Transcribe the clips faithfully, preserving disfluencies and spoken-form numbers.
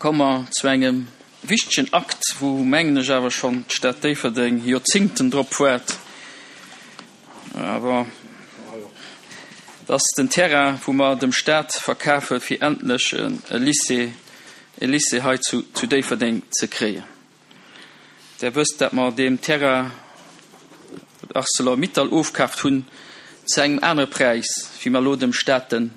Komme mer zu engem wichtegen Akt, wou, mengen ech, awer schonn d'Stad Déifferdeng Joerzingten drop waart. Awer et ass den Terrain, wou mer dem Stat verkafe fir endlech e Lycée, e Lycée hei zu, zu Déifferdeng ze kréien. Der wësst, dat mer deem Terrain Arcelor-Mittal ofkaaft hunn zu engem anere Präis, wéi mer elo dem Stat en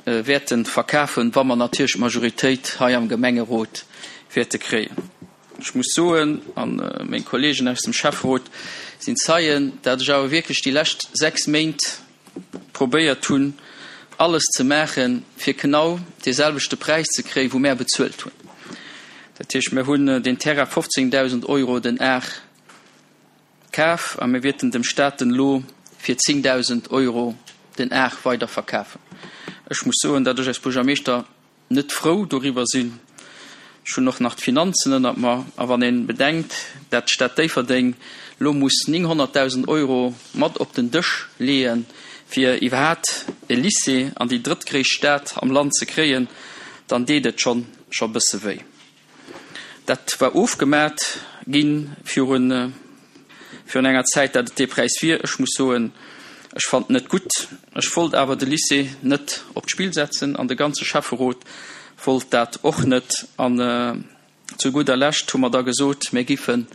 wäerte verkafen, wa mer natierlech d'Majoritéit hei am Gemengerot wäerte kréien. Ech muss soen, a meng Kolleegen aus dem Schäfferot sinn Zeien, dat ech awer wierklech déi lescht sechs Méint probéiert hunn, alles ze maachen, fir genau dee selwechte Präis ze kréien, wou mär bezuelt hunn. Dat heescht, mir hunn deen Terrain fofzéngdausend Euro den Ar kaf a mir wäerten dem Stat en elo fir zéngdausend Euro den Ar weider verkafen. Ech muss soen, datt ech als Buergermeeschter net frou doriwwer sinn. Ech hunn och nach d'Finanzen ënnert mer. A wann ee bedenkt, datt d'Stad Déifferdeng elo muss nénghonnertdausend Euro mat op den Dësch leeën, fir iwwerhaapt e Lycée an déi drëttgréisst Stad am Land ze kréien, dann deet et schonn scho bësse wéi. Dat war ofgemat gi virun virun enger Zäit, dat et dee Präis wier. Ech muss soen, ech fand net gutt. Ech wollt awer de Lycée net op d'Spill setzen an de ganze Schäfferot wollt dat och net. An zu gudder Lescht hu mer da gesot, mir giffen,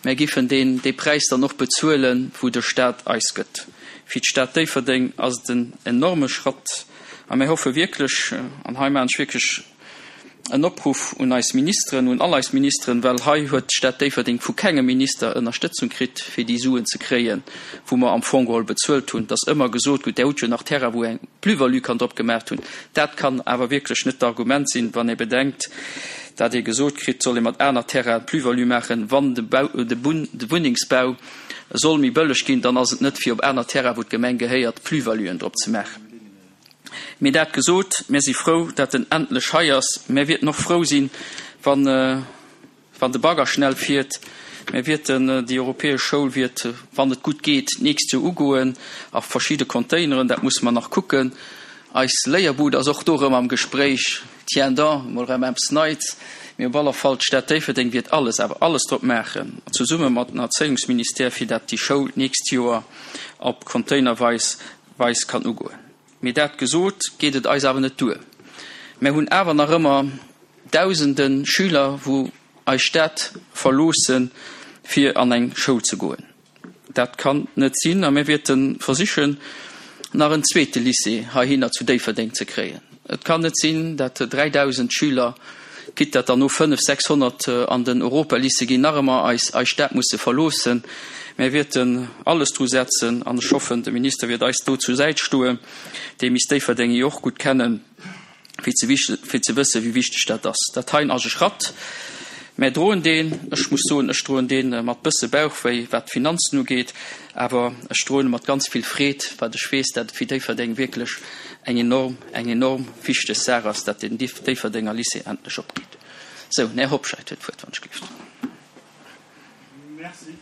mir giffen deen, dee Präis dann och bezuelen, wou de Stat eis gëtt. Fir d'Stad Déifferdeng ass et en enorme Schratt a mir hoffe wierklech, an hei maachen ech wierklech en Opruff un eis Ministeren, un all eis Ministeren, well hei huet d'Stad Déifferdeng vu kengem Minister Ënnerstëtzung kritt, fir déi Suen ze kréien, wou mer am Fong geholl bezuelt hunn. Et ass ëmmer gesot, gutt, Där hutt jo nach Terrain, wou eng Plus-value kann drop gemaach hunn. Dat kann awer wierklech net d'Argument sinn, wann ee bedenkt, dat ee gesot kritt, soll ee mat aner Terrainen Plus-value maachen, wann de Bau, de Wunnengsbau soll méi bëlleg ginn, dann ass et net fir op aner Terrainen, wou d'Gemeng gehéiert, Plus-valuen drop ze maachen. Mee dat gesot, mir si frou, dat en endlech hei ass. Mir wierten och frou sinn, wann, wann de Bagger schnell fiert. Mir wierten, déi europäesch Schoul wiert, wann et gutt geet, d'nächst Joer ugoen a verschidde Containeren. Dat musse mer nach kucken. Eis Léierbud ass och do erëm am Gespréich. Tiens donc, mol erëm eppes Neits. Mee op alle Fall, d'Stad Déifferdeng wiert alles, awer alles drop maachen, zesumme mat den Erzéiungsministère, fir dat déi Schoul d'nächst Joer op containerweis weis kann ugoen. Mee dat gesot, geet et eis awer net duer. Mär hunn awer nach ëmmer dausende Schüler, wou eis Stad verloossen, fir an eng Schoul ze goen. Dat kann net sinn a mir wäerte versichen, nach en zweete Lycée heihinner zu Déifferdeng ze kréien. Et kann net sinn, dat dräidausend Schüler, quitte dat der no fënnef, sechshonnert an den Europalycée ginn, nach ëmmer eis eis Stad musse verloossen. Mir wäerten alles dru setzen, an ech hoffen, de Minister wäert eis do zur Säit stoen, dee misst Déifferdeng jo och gutt kennen, fir ze fir ze wëssen, wéi wichteg dat ass. Dat heien ass e Schratt. Mär droen deen, ech muss soen, ech droen dee mat bësse Bauchwéi, wat d'Finanzen ugeet, awer ech droen e mat ganz vill Freed, wat ech weess, dat et fir Déifferdeng wierklech eng enorm, eng enorm wichteg Saach ass, dat den Déifferdenger Lycée endlech opgeet. Sou, den Här Hobscheit huet d'Wuert, wann ech gelift. Merci.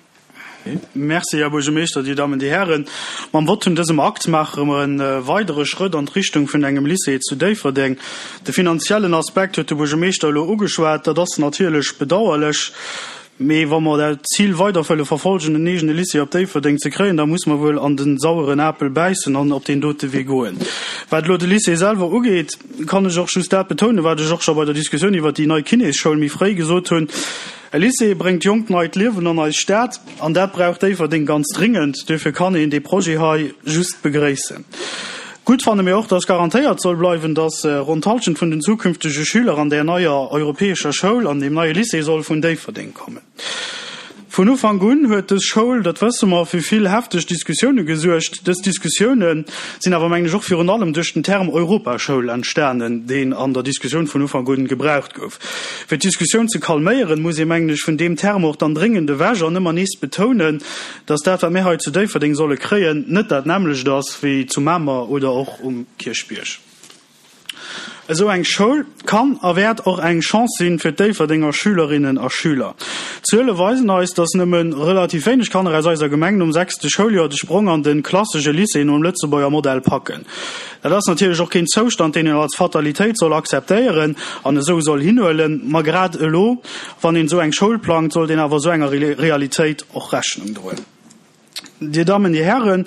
Merci, Här Buergermeeschter, Dir Dammen, Dir Hären. Mam Vott vun dësem Akt maache mer e weidere Schrëtt an d'Richtung vun engem Lycée zu Déifferdeng. De finanziellen Aspekt huet de Buergermeeschter elo ugeschwat. Dat ass natierlech bedauerlech. Mee wa mer dat Zil weider wëlle verfolgen, en eegene Lycée op Déifferdeng ze kréien, da muss mer wuel an de saueren Apel bäissen an op deen dote Wee goen. Wat elo de Lycée selwer ugeet, kann ech och just dat betounen, wat ech och scho bei der Diskussioun iwwert déi nei Kinésschoul méi fréi gesot hunn, E Lycée bréngt jonkt neit Liewen an eis Stad, an dat brauch Déifferdeng ganz dringend. Duerfir kann een dee Projet hei just begréissen. Gutt fanne mir och, dass garantéiert soll bleiwen, dass ronn d'Hallschent vun den zukünftege Schüler an där neier europäescher Schoul, an deem neie Lycée soll vun Déifferdeng kommen. Vun Ufank un huet dës Schoul, dat wësse mer, fir vill hefteg Diskussioune gesuergt. Dës Diskussioune sinn awer, mengen ech, och virun allem duerch den Term Europaschoul entstanen, deen an der Diskussioun vun Ufank un gebraucht gouf. Fir d'Diskussioun ze calméieren, muss ee, mengen ech, vun deem Term och dann dréngend ewech an ëmmer nees betounen, dass dat, wat mir hei zu Déifferdeng solle kréien, net dat nämmlecht ass wéi zu Mamer oder och um Kierchbierg. Esou eng Schoul kann a wäert och eng Chance sinn fir d'Déifferdenger Schülerinnen a Schüler. D'Zuele weisen eis, dass nëmme relativ wéineg Kanner aus eiser Gemeng nom sechste Schouljoer de Sprong an de klassesche Lycée nom Lëtzebuerger Modell packen. Dat ass natierlech och keen Zoustand, deen een als Fatalitéit soll akzeptéieren an esou soll hinhuelen. Ma grad elo, wann een esou eng Schoul plangt, sollt een awer esou enger Realitéit och Rechnung droen. Dir Dammen, Dir Hären,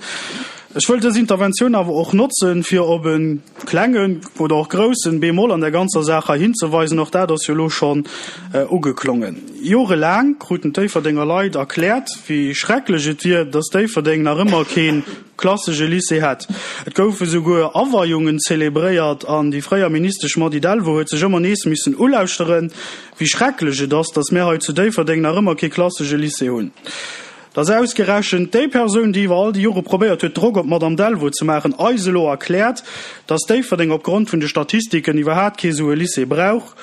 ech wëll dës Interventioun awer och notzen, fir op e klengen oder och groussen Bémol an der ganzer Saach hei hinzeweisen. Och dat ass jo elo schonn ugeklongen. Jorelaang kruten d'Déifferdenger Leit erkläert, wéi schrecklech et wier, dass Déifferdeng nach ëmmer kee klassesche Lycée hätt. Et goufe souguer Aweiungen zelebréiert an déi fréier Ministesch Mady Delvaux huet sech ëmmer nees missen ulauschteren, wéi schrecklech et ass, dass mär hei zu Déifferdeng nach ëmmer kee klassesche Lycée hunn. Dass ausgerechent déi Persoun, déi iwwer all déi Jore probéiert huet, Drock op d'Madame Delvaux ze maachen, eis elo erkläert, dass Déifferdeng opgrond vun de Statistiken iwwerhaat kee sou e Lycée brauch,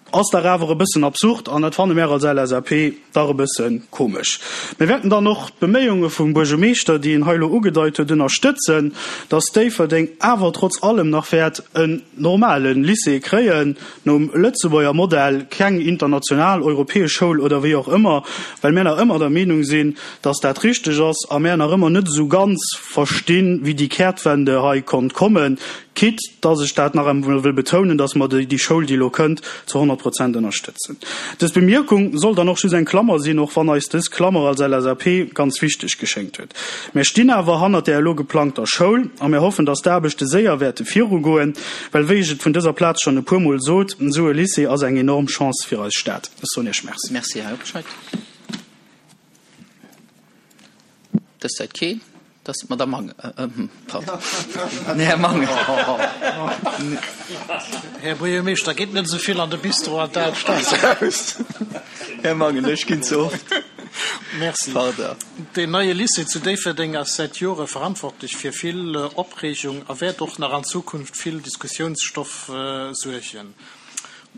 ass dach awer e bëssen absurd an dat fanne mär als L S A P dach e bësse komesch. Mir wäerten dann och d'Beméiunge vum Buergermeeschter, déi en hei elo ugedeit huet, ënnerstëtzen, dass Déifferdeng awer trotz allem nach wäert en normale Lycée kréien, nom Lëtzebuerger Modell, keng international, europäesch Schoul oder wéi och ëmmer, well mär nach ëmmer der Meenung sinn, dass dat richteg ass a mär nach ëmmer net esou ganz verstinn, wéi déi Kehrtwende hei konnt kommen, quitte dass ech dat nach einmal wëll betounen, dass mer déi Schoul, déi elo kënnt, zu honnert Prozent ënnerstëtzen. Dës Bemierkung soll dann och just eng Klammer sinn, och wann eis dës Klammer als L S A P ganz wichteg geschéngt huet. Mär stinn awer hannert der elo geplangter Schoul a mär hoffen, dass d'Aarbechte séier wäerte virugoen, well wéi ech et vun dëser Plaz schonn e puer Mol sot, esou e Lycée ass eng enorm Chance fir eis Stad. Ech soen Iech Merci. Merci, Här Hobscheit. Dës Zäit keen. Das ist Madame Mange. Äh, äh, pardon. Här Mange. Här Buergermeeschter, geht net esou vill an de Bistro an d'Alstad. Här Mangen, ech ginn ze oft. Merci. Pardon. Den neie Lycée zu Déifferdeng ass säit Jore verantwortlech fir vill Opreegung a wäert och nach an Zukunft vill Diskussiounsstoff suergen.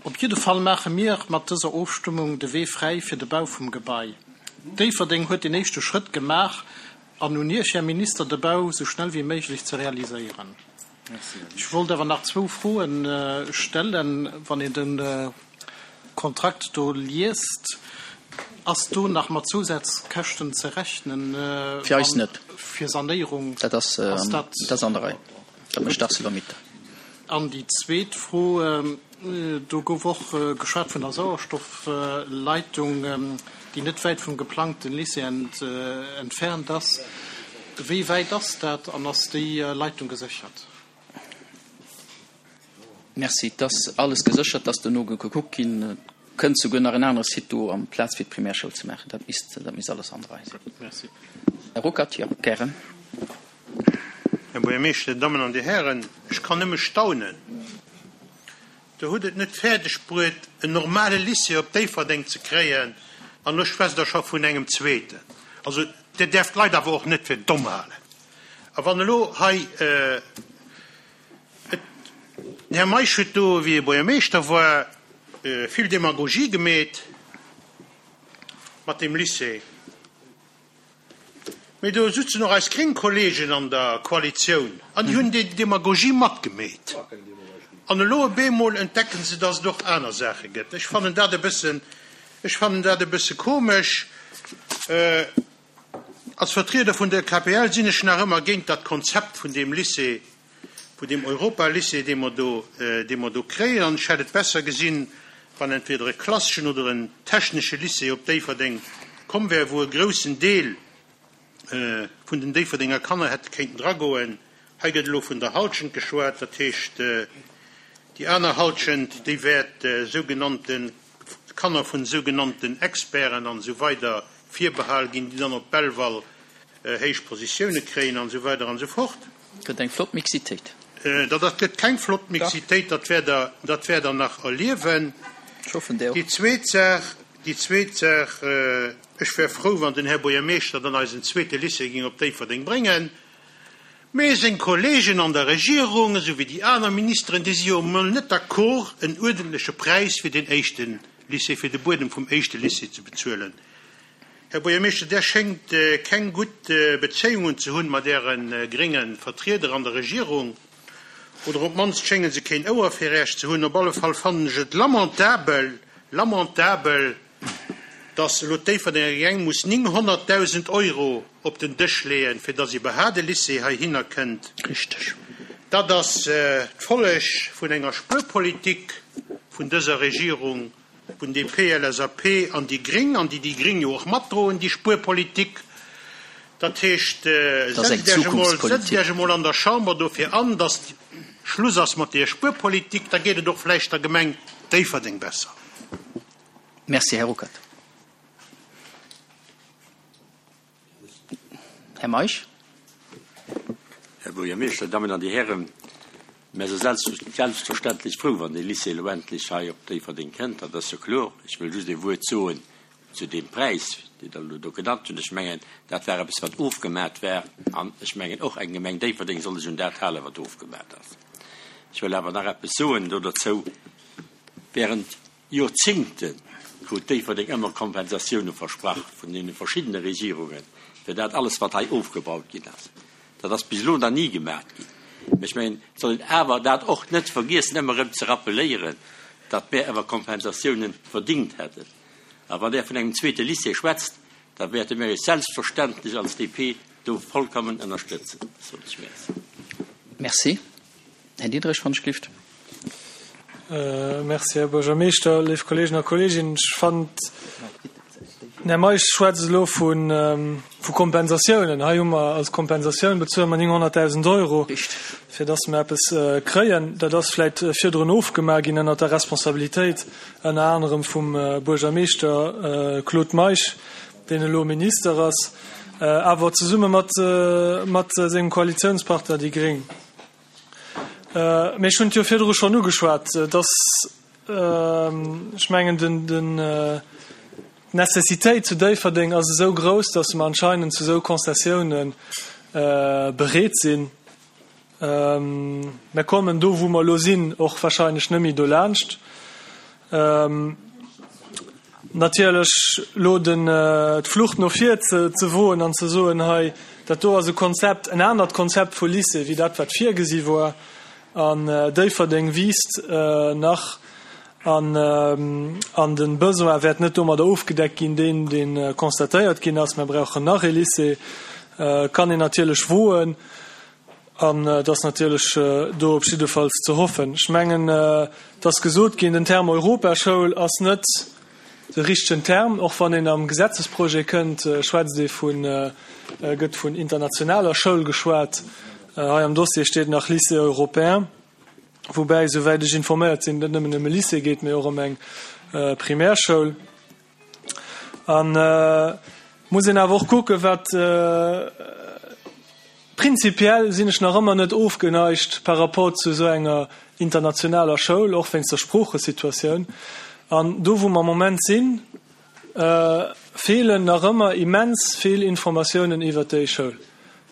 Op jidde Fall maache mir mat dëser Ofstëmmung de Wee fräi fir de Bau vum Gebai. Déifferdeng huet den éischte Schrëtt gemaach an un Iech, Här Minister, de Bau sou schnell wéi méiglech ze realiséieren. Ech wollt awer nach zwou Froen stellen, wann een de Kontrakt do liest. Ass do nach mat Zusatzkäschten ze rechnen? Fir eis net. Fir Sanéierung? Dat ass, Ass dat dat ass an der Rei. Dat mécht ArcelorMittal. An déi zweet Fro, do gouf och geschwat vun der Sauerstoffleitung, déi net wäit vum geplangten Lycée entfernt ass. Wéi wäit ass dat an ass déi Leitung geséchert? Merci, et ass alles geséchert, dass dono gekuckt ginn. Kënnt souguer nach en anere Site do amplaz fir d'Primärschoul ze maachen. Dat misst, dat misst alles an der Rei sinn. Merci. Här Ruckert, jo, gären. Här Buergermeeschter, Dir Dammen an Dir Hären, ech kann nëmme staunen. Der hutt et net fäerdeg bruet, en normale Lycée op Déifferdeng ze kréien, an elo schwätzt Der scho vun engem zweeten. Also, Dir däerft d'Leit awer och net fir domm halen. A wann elo hei, et, den Här Meisch huet do, wéi e Buergermeeschter war, vill Demagogie gemeet mat deem Lycée. Mee do sutzen och eis gréng Kollegen an der Koalitioun an déi hunn déi Demagogie matgemeet. An elo op eemol entdecken se, dass et och aner Saache gëtt. Ech fannen dat e bëssen, ech fannen dat e bësse komesch. Als Vertrieder vun der K P L sinn ech nach ëmmer géint dat Konzept vun deem Lycée, vun deem Europa-Lycée, dee mer do, dee mer do kréien. An ech hätt et besser gesinn, wann entweder e klasseschen oder en technesche Lycée op Déifferdeng komm wär, wou e groussen Deel vun den Déifferdenger Kanner hätte kéinten dragoen. Hei gëtt elo vun der Halschent geschwat, dat heescht, déi aner Halschent, déi wäert sougenannte Kanner vun sougenannten Experten an esou weider virbehal ginn, déi dann op Belval héich Positioune kréien an esou weider an esou fort. Gëtt eng flott Mixitéit. Dat dat gëtt keng flott Mixitéit, dat wäert der, dat wäert der nach erliewen. Ech hoffen, där och. Déi zweet Saach, déi zweet Saach, ech wär frou, wann den Här Buergermeeschter dann eisen zweete Lycée géing op Déifferdeng bréngen. Mee seng Kollegen an der Regierung, esou wéi déi aner Ministeren, déi si jo emol net d'accord, en uerdentleche Präis fir den éischte Lycée, fir de Buedem vum éischte Lycée ze bezuelen. Här Buergermeeschter, där schéngt keng gutt Bezéiungen ze hunn mat äre grénge Vertrieder an der Regierung, oder op d'mannst schénge se keen Ouer fir Iech ze hunn. Op alle Fall fannen ech et lamentabel, lamentabel, dass elo d'Déifferdenger Gemeng muss neunhunderttausend Euro op den Dësch leeën, fir dass iwwerhaupt e Lycée heihinner kënnt. Richtig. Dat ass d'Folleg vun enger Spuerpolitik vun dëser Regierung vun D P, L S A P an déi Gréng, an déi déi Gréng jo och matdroen, déi Spuerpolitik. Dat heescht, Dat ass eng setzt Iech emol, setzt Zukunftspolitik. Iech emol an der Chamber dofir an, dass Schluss ass mat der Spuerpolitik, da geet et och vläicht der Gemeng Déifferdeng besser. Merci, Här Ruckert. Här Meisch. Här Buergermeeschter, Dammen an Dir Hären, mir si selbstverständlech frou, wann de Lycée elo endlech hei op Déifferdeng kënnt, dat ass jo kloer. Ech wëll just e Wuert soen zu deem Präis, deen Der elo do genannt hutt. Ech mengen, dat war eppes, wat ofgemaach war, an ech mengen och eng Gemeng Déifferdeng soll sech un dat halen, wat ofgemaach ass. Ech wëll awer nach eppes soen do dozou. Während Joerzéngte krut Déifferdeng ëmmer Kompensatioune versprach vun deene verschiddene Regierungen, fir dat alles, wat hei ofgebaut ginn ass. Dat ass bis elo nach ni gemaach ginn. Ech mengen, soll een awer dat och net vergiessen, ëmmer erëm ze rappeléieren, datt mir awer Kompensatioune verdingt hätten. A wann Der vun engem zweete Lycée schwätzt, da wäerte mir Iech selbstverständlech als D P do vollkommen ënnerstëtzen. Soen ech Merci. Merci. Här Diederich van Schlift. Äh, merci, Här Buergermeeschter, léif Kolleegen a Kolleeginnen. Ech fannen, den Här Meisch schwätzt elo vun, ähm, vu Kompensatiounen. Hei hu mer als Kompensatioun bezuele mer nénghonnertdausend Euro, fir dass mer eppes äh, kréien. Dat ass vläicht äh, virdrun ofgemaach ginn ënner der Responsabilitéit ënner anerem vum äh, Buergermeeschter äh, Claude Meisch, deen elo Minister ass, äh, awer zesumme mat, äh, mat sengem Koalitiounspartner déi Gréng. Äh, mir hunn jo virdru schonn ugeschwat, äh, dass äh, ech mengen den, den äh, Necessitéit zu Déifferdeng ass esou grouss, dass mer anscheinend zu sou Konzessiounen äh, bereet sinn. Ähm, mir kommen do, wou mer elo sinn, och warscheinlech net méi dolaanscht. Ähm, natierlech lo den äh, d'Flucht no vir ze, ze woen an ze soen hei, dat do ass e Konzept, en anert Konzept vu Lycée, wéi dat wat virgesi war an äh, Déifferdeng wiisst äh, nach an ähm, an den Besoin wäert net domadder ofgedeckt ginn, deen deen äh, constatéiert ginn ass, mir brauchen nach e Lycée, äh, kann een natierlech woen an äh, dat natierlech äh, do op jiddefalls ze hoffen. Ech mengen äh, dass gesot ginn den Term Europaschoul ass net de richtegen Term, och wann een am Gesetzesprojet kënnt, äh, schwätzt ee vun äh, äh, gëtt vun internationaler Schoul geschwat. Äh, hei am Dossier steet nach Lycée européen, woubäi souwäit ech informéiert sinn, net nëmmen ëm e Lycée geet, mee och ëm eng äh, Primärschoul. An äh, muss een awer och kucken, wat äh, prinzipiell sinn ech nach ëmmer net ofgeneigt par rapport zu sou enger internationaler Schoul, och wéinst der Sproochesituatioun. An do wou mer am Moment sinn, äh, feelen nach ëmmer immens vill Informatiounen iwwer déi Schoul.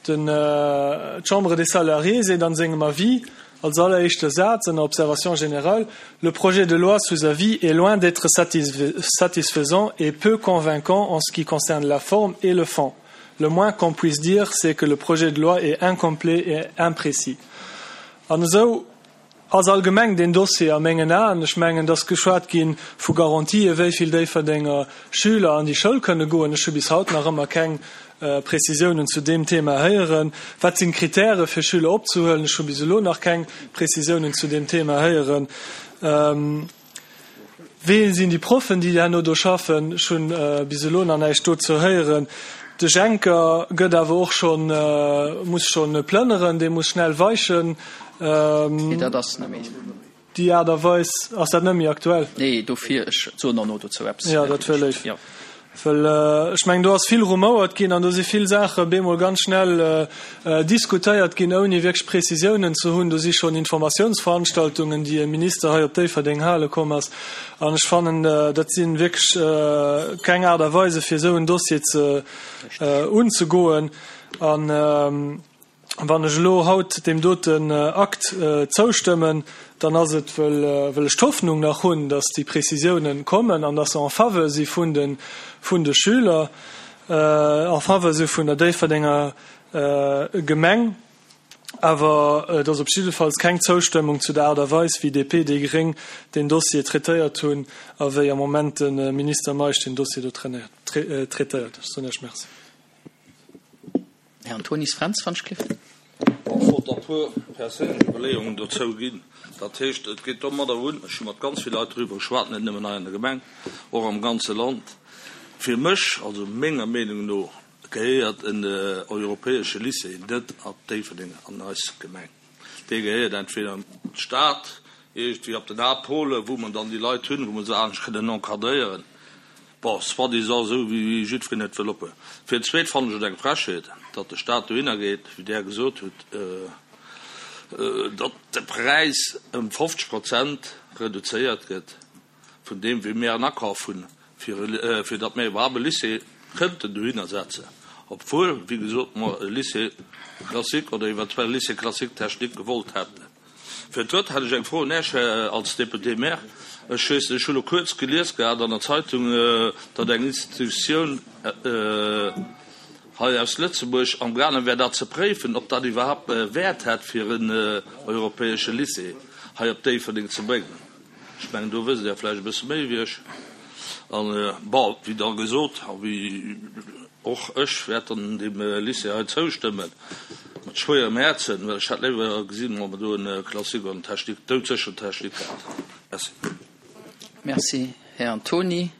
Den äh, Chambre des Salariés seet an sengem Avis als alleréischte Saz an Observation générale, le projet de loi sous avis est loin d'être satisfaisant et peu convaincant en ce qui concerne la forme et le fond. Le moins qu'on puisse dire, c'est que le projet de loi est incomplet et imprécis. An esou ass allgemeng den Dossier a mengen Aen, ech mengen, dass geschwat ginn vu Garantië wéi vill Déifferdenger Schüler an déi Schoul kënne goen. Ech hu bis haut nach ëmmer keng äh, Prezisiounen zu deem Thema héieren. Wat sinn Kritäre fir Schüler opzehuelen? Ech hu bis elo nach keng Prezisiounen zu deem Thema héieren. Ähm, Wee sinn déi Proffen, déi herno do schaffen, schonn äh, bis elo nach näischt dozou héieren. De Schenker gëtt awer och schonn äh, muss schonn plënneren, dee muss schnell weichen. Ähm, Nee, dat ass net méi. Déi Aart a Weis ass dat net méi aktuell. Nee, dofir ech soen nach no dozou eppes. Ja, dat wëll ech. Ja. Well äh, ech mengen do ass vill rumouert ginn an do si vill Saache bemol ganz schnell äh, äh, diskutéiert ginn, ouni wierklech Prezisiounen ze hunn. Do si schonn Informatiounsveranstaltungen, déi e Minister hei op Déifferdeng hale komm ass. An ech fannen, äh, dat sinn wierklech äh, keng Aart a Weise fir sou en Dossier ze äh, unzegoen. An ähm, wann ech elo haut deem doten äh, Akt äh, zoustëmmen, dann ass et wëll, äh, wëll ech d'Hoffnung nach hunn, dass déi Prezisiounen kommen an dass se en faveur si vun den vun de Schüler, äh, en faveur si vun der Déifferdenger äh, Gemeng, awer äh, dat ass op jiddefalls keng Zoustëmmung zu der Aart a Weis wéi D P déi Gréng den Dossier traitéiert hunn a wéi am Moment den äh, Minister Meisch den Dossier do trainéiert, tra äh, traitéiert. Ech soen Iech Merci. Här Antonis Fränz van Schlift. Bon, wollt e puer perséinlech Iwwerleeungen dozou ginn. Dat heescht, et geet domadder un, ech hu mat ganz vill Leit driwwer geschwat, net nëmmen hei an der Gemeng, och am ganze Land. Fir mech, also menger Meenung no, gehéiert en europäesche Lycée net op Déifferdeng an eis Gemeng. Dee gehéiert entweder an d'Stad, iergendwéi op den Haaptpôle, wou mer dann déi Leit hunn, wou mer se anescht kënnen encadréieren. Bon, soi-disant esou wéi jiddwereen et wëll oppe. Fir d'zweet fannen ech et eng Frechheet, datt de Staat dohinner geet, wéi Der gesot hutt, datt de Präis ëm fofzeg Prozent reduzéiert gëtt vun deem, wéi mir en akaf hunn, fir, fir datt mir iwwerhaapt e Lycée kënnten dohinner setzen, obwuel, wéi gesot, mer e Lycée classique oder eventuell Lycée classique technique gewollt hätten. Fir d'Drëtt hätt ech eng Fro un Iech als Député-maire. Ech weess, ech hu lo kuerz gelies gehat an der Zeitung, datt eng Institutioun hei aus Lëtzebuerg amgaange wär dat ze préifen, ob dat iwwerhaapt Wäert hätt, fir en europäesche Lycée hei op Déifferdeng ze bréngen. Ech mengen, do wësst Der vläicht e bësse méi wéi ech. An, bon, wéi da gesot, a wéi och ech wäert dann deem Lycée hei zoustëmmen, mat schwéierem Häerzen, well ech hätt léiwer gesinn, wa mer do e Classique an en Technique, doudsécher Technique hätten. Merci. Merci, Här Antony.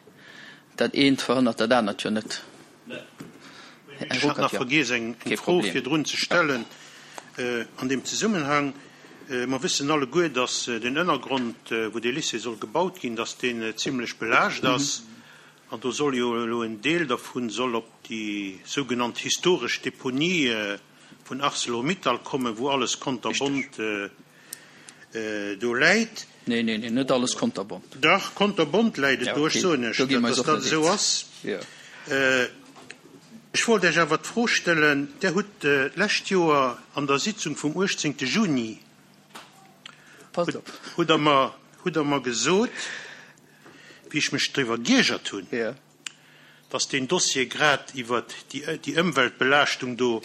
Dat eent verhënnert dat anert jo net. Här Ech hat nach vergiess, eng Fro virdrun ze stellen an deem Zesummenhang. Mer wëssen alleguer, dass den Ënnergrond, wou dee Lycée soll gebaut ginn, dass deen zimlech belaascht ass. An do soll jo elo en Deel dervun soll op déi sougenannt historesch Deponie vun Arcelor-Mittal kommen, wou alles konterbont do läit. Nee, nee, nee, net alles konterbont. Dach, konterbont läit et do. Ech soen Iech, datt dat esou ass. Ech wollt Iech awer d'Fro stellen, Der hutt d'lescht Joer an der Sitzung vum uechtzéngte Juni, hutt Der mer, hutt Der mer gesot, wéi ech mech driwwer giergert hunn, dass deen Dossier grad iwwert déi Ëmweltbelaaschtung do,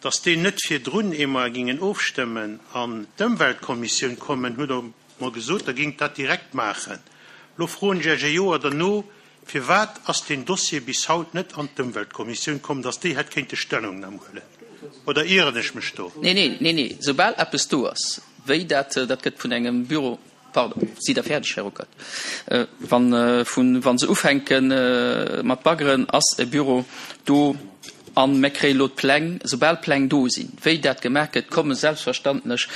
dass deen net virdrun, ier mer gingen ofstëmmen, an d'Ëmweltkommissioun kommen, hutt Der mer gesot, Der gingt dat direkt maachen. Elo froen ech Iech e Joer derno, Firwat ass deen Dossier bis haut net an d'Ëmweltkommissioun komm, dass déi hätt kéinte Stellungnam huelen? Oder ieren ech mech do? Nee, nee, nee, nee, soubal eppes do ass, wéi dat, dat gëtt vun engem Büro, pardon, sidd Der fäerdeg, Här Ruckert? Wann, vun, wa se ufänke mat baggeren, ass e Büro do a mir kréie lo d'Pläng. Soubal d'Pläng do sinn, wéi dat gemaach gëtt, komme selbstverständlech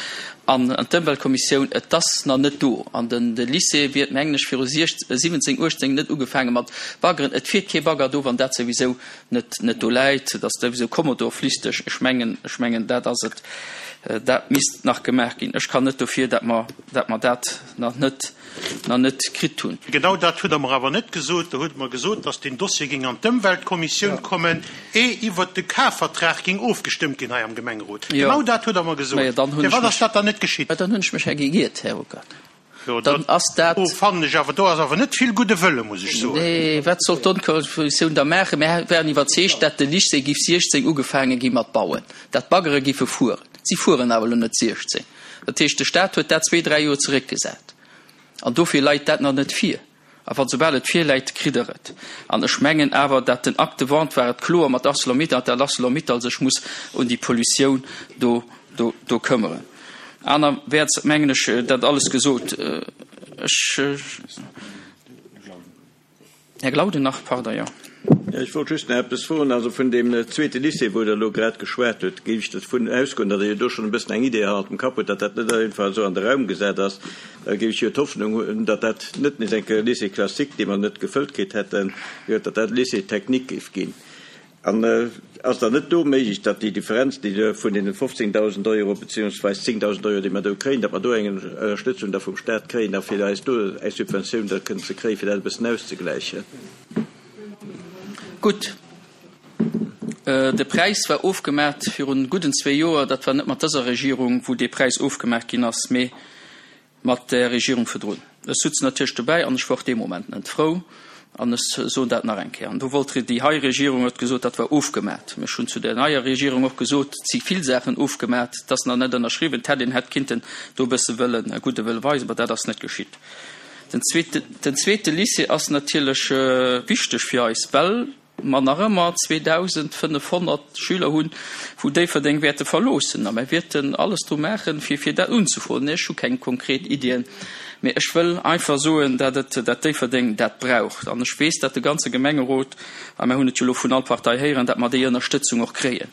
an d'Ëmweltkommissioun. Et ass nach net do. An den, de Lycée wier, mengen ech, viru siwwenzéng, uechtzéng net ugefaange mat baggeren. Et fiert kee Bagger do, wann dat souwisou net, net do läit. Et ass souwisou kommodorflichteg. Ech mengen, ech mengen, dat ass et. Dat misst nach gemaach ginn. Ech kann net dofir, datt mer, datt mer dat nach net, nach net kritt hunn. Genau dat hutt Der mer awer net gesot. Der hutt mer gesot, datt deen Dossier géing an d'Ëmweltkommissioun kommen, ee iwwert de Kafvertrag géing ofgestëmmt ginn hei am Gemengerot. Genau dat hutt Der mer gesot. Firwat ass dat dann net geschitt? Dann hunn ech mech hei gegiert, Här Ruckert. Dann ass dat. Do fannen ech awer, do ass awer net vill gudde Wëlle, muss ech soen. Nee, wat soll d'Onkommissioun da maachen? Mir waren iwwerzeegt, dat de Lycée giff siechzéng ugefaange gi mat bauen, dat d'Baggere giffe fueren. Si fueren awer elo net siechzéng. Dat heescht, de Stat huet dat zwee, dräi Joer zeréckgesat. An dofir leit dat nach net vir. A wann soubal et virläit, kritt Der et. An ech mengen awer, dat den Acte de vente war et kloer mat Arcelor-Mittal, dat Arcelor-Mittal sech muss un déi Pollutioun do, do, do këmmeren. Anerwäerts mengen ech, dat alles gesot. Ech, Här Glauden nach, pardon, jo. Jo, ech wollt just nach eppes froen. Also vun deem zweete Lycée, wou Der elo grad geschwat hutt, géif ech dervun ausgoen, datt Der jo do schonn e bëssen eng Idee hannert dem Kapp hutt, datt dat net einfach esou an de Raum gesat ass. Da géif ech jo d'Hoffnung hunn, datt dat net nees eng Kéier e Lycée classique, dee mer net gefëllt kritt hätten, jo, datt dat e Lycée technique géif ginn. An ass dann net do méiglech, datt déi Differenz, déi do vun deene fofzéngdausend Euro beziehungsweis zéngdausend Euro, déi mer do kréien, datt mer do eng Ënnerstëtzung da vum Stat kréien a fir eis do eng Subventioun da kënnen ze kréien, fir dat e bëssen auszegläichen? Gutt, de Präis war ofgemaacht virun gudden zwee Joer. Dat war net mat dëser Regierung, wou dee Präis ofgemaacht ginn ass, mee mat där Regierung virdrun. Ech sutz natierlech dobäi an ech war och dee Moment net frou an ech soen dat nach eng Kéier. An do wollt déi hei Regierung, huet gesot, dat war ofgemat. Ech hunn zu där neier Regierung och gesot, et si vill Saachen ofgemat, et ass nach net ënnerschriwwen, et hätt een hätt kinnten do e bësse wëllen e gudde Wëlle weisen, ma dat ass net geschitt. Den zweete, den zweete Lycée ass natierlech wichteg fir eis, well mer nach ëmmer zweedausendfënnefhonnert Schüler hunn, wou Déifferdeng wäerte verloossen. A mer wäerten alles dru maachen, fir fir dat unzefroen. Ech hu keng konkret Iddien, mee ech wëll einfach soen, dat et, dat Déifferdeng dat braucht. An ech weess, dat de ganze Gemengerot, a mer hunn et jo elo vun all Partei héieren, dat mer déi Ënnerstëtzung och kréien.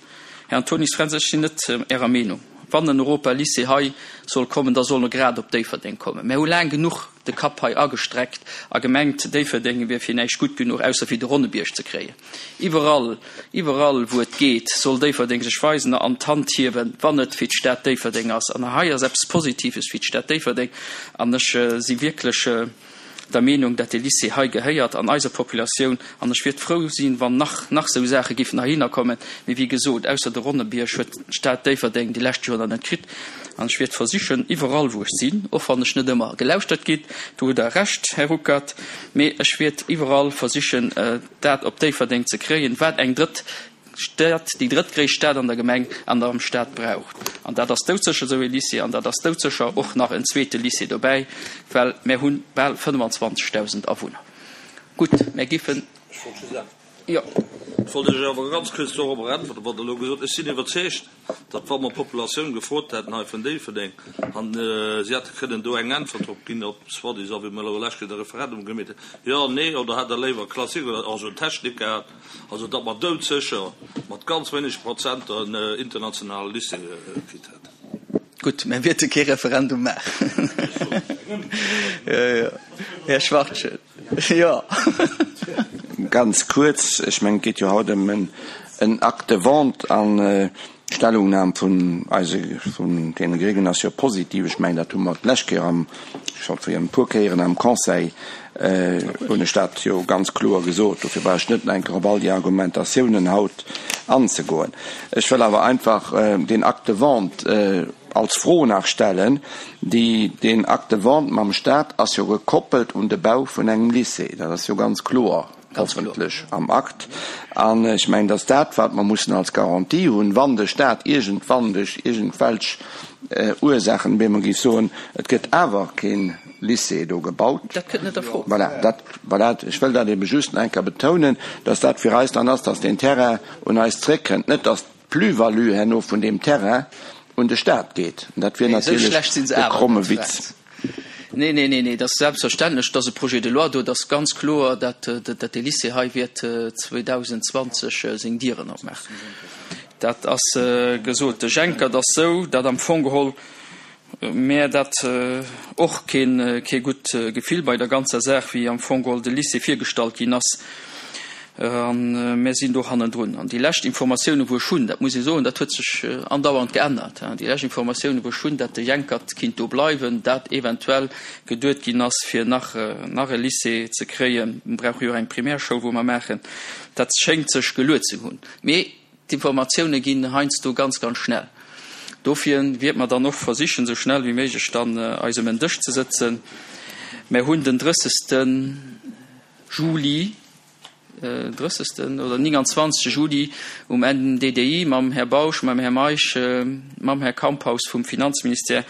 Här Antonius Fränz, ech sinn net Ärer Meenung. Wann en Europalycée hei soll kommen, da soll e grad op Déifferdeng kommen. Mer hu laang genuch de Kapp hei agestreckt a gemengt, Déifferdeng wier fir näischt gutt genuch, ausser fir de Ronnebierg ze kréien. Iwwerall, iwwerall wou et geet, soll Déifferdeng sech weisen an d'Hand hiewen, wann et fir d'Stad Déifferdeng ass. An hei ass eppes Positives fir d'Stad Déifferdeng. An ech si wierklech der Meenung, dat dee Lycée hei gehéiert an eiser Populatioun, an ech wiert frou sinn, wann nach nach esou Saache giffen heihinner kommen. Mee wéi gesot, ausser de Ronnebierg huet d'Stad Déifferdeng déi lescht Joren net kritt. An ech wiert versichen, iwwerall wou ech sinn, och wann ech net ëmmer gelauschtert ginn, do hutt Der Recht, Här Ruckert, mee ech wiert iwwerall versichen, dat op Déifferdeng ze kréien, wat eng drëtt Stad, déi drëttgréisst Stad an der Gemeng an der am Staat braucht. An dat ass doudsécher esou ee Lycée an dat ass doudsécher och nach en zweete Lycée dobäi, well mär hu bal fënnfanzwanzegdausend Awunner. Gutt, mär giffen. Jo. Ech wollt Iech awer ganz kuerz dorobber äntweren, wat Der elo gesot hutt. Ech sinn iwwerzeegt, datt wa mer d'Populatioun gefrot hätten hei vun Déifferdeng an si hätte kënnen do eng Äntwert drop ginn, ob soi-disant, wéi mer elo lech Kéier de Referendum gemeet hunn, jo, nee, oder hätt Der léiwer Classique oder also en Technique gehat, Also datt mer doudsécher mat ganz wéinege Prozenter en internationale Lycée kritt hätten. Gutt, mä wäerte kee Referendum maachen. Jo, jo, Här Schwachtgen, jo. Ganz kuerz, ech mengen, et geet jo haut ëm en Acte de vente an D'Stellungnam vun eise, vun deene Gréngen ass jo positiv. Ech mengen, dat hu mer d'lescht Kéier am, scho fir e puer Kéieren am Conseil hunn ech dat jo ganz kloer gesot. Dofir brauch ech net nach eng Kéier op all déi Argumentatiounen haut anzegoen. Ech wëll awer einfach deen Acte de vente als Fro nach stellen. Déi, deen Acte de vente mam Stat ass jo gekoppelt un de Bau vun engem Lycée. Dat ass jo ganz kloer. hoffentlech am Akt. An ech mengen, dass dat, wat mer mussen als Garantie hunn, wann de Stat iergendwann duerch iergendwelch Ursaachen op eemol géif soen, et gëtt awer kee Lycée do gebaut, Dat kënnt net a Fro. Voilà, dat, voilà, ech wëll dat ebe just nach eng Kéier betounen, dass dat fir eis dann ass, dass deen Terrain un eis zréckkënnt, net dass d'Plus-value herno vun deem Terrain un de Stat geet. Dat wier Nee, esou natierlech schlecht si se e awer kromme net, Witz. Fränz. Nee, nee, nee, nee, dat ass selbstverständlech, dat ass e Projet de loi do, dat ass ganz kloer, dat, dat dee Lycée hei wäert zweedausendzwanzeg seng Dieren opmaachen. Dat ass gesot. De Jencker, et ass esou, datt am Fong geholl mär dat och keen, kee gutt Gefill bei der ganzer Saach, wéi am Fong geholl de Lycée virgestallt ginn ass, A mär sinn do hannendrun. An déi lescht Informatiounen, wou ech hunn, dat muss ee soen, dat huet sech andauernd geännert, déi lescht Informatiounen, wou ech hunn, dat de Jenkert kinnt do bleiwen, dat eventuell geduet ginn ass, fir nach, nach e Lycée ze kréien, mir brauche jo och eng Primärschoul, wou mer maachen, dat schéngt sech geluet ze hunn. Mee d'Informatiounen ginn heiansdo ganz, ganz schnell. Dofir wiert mer dann och versichen, esou schnell wéi méiglech dann eis ëm en Dësch ze sëtzen. Mär hunn den drëssegste Juli, drëssegsten oder nénganzwanzegste Juli um N D D I mam Här Bausch, mam Här Meisch, mam Här Kamphaus vum Finanzministère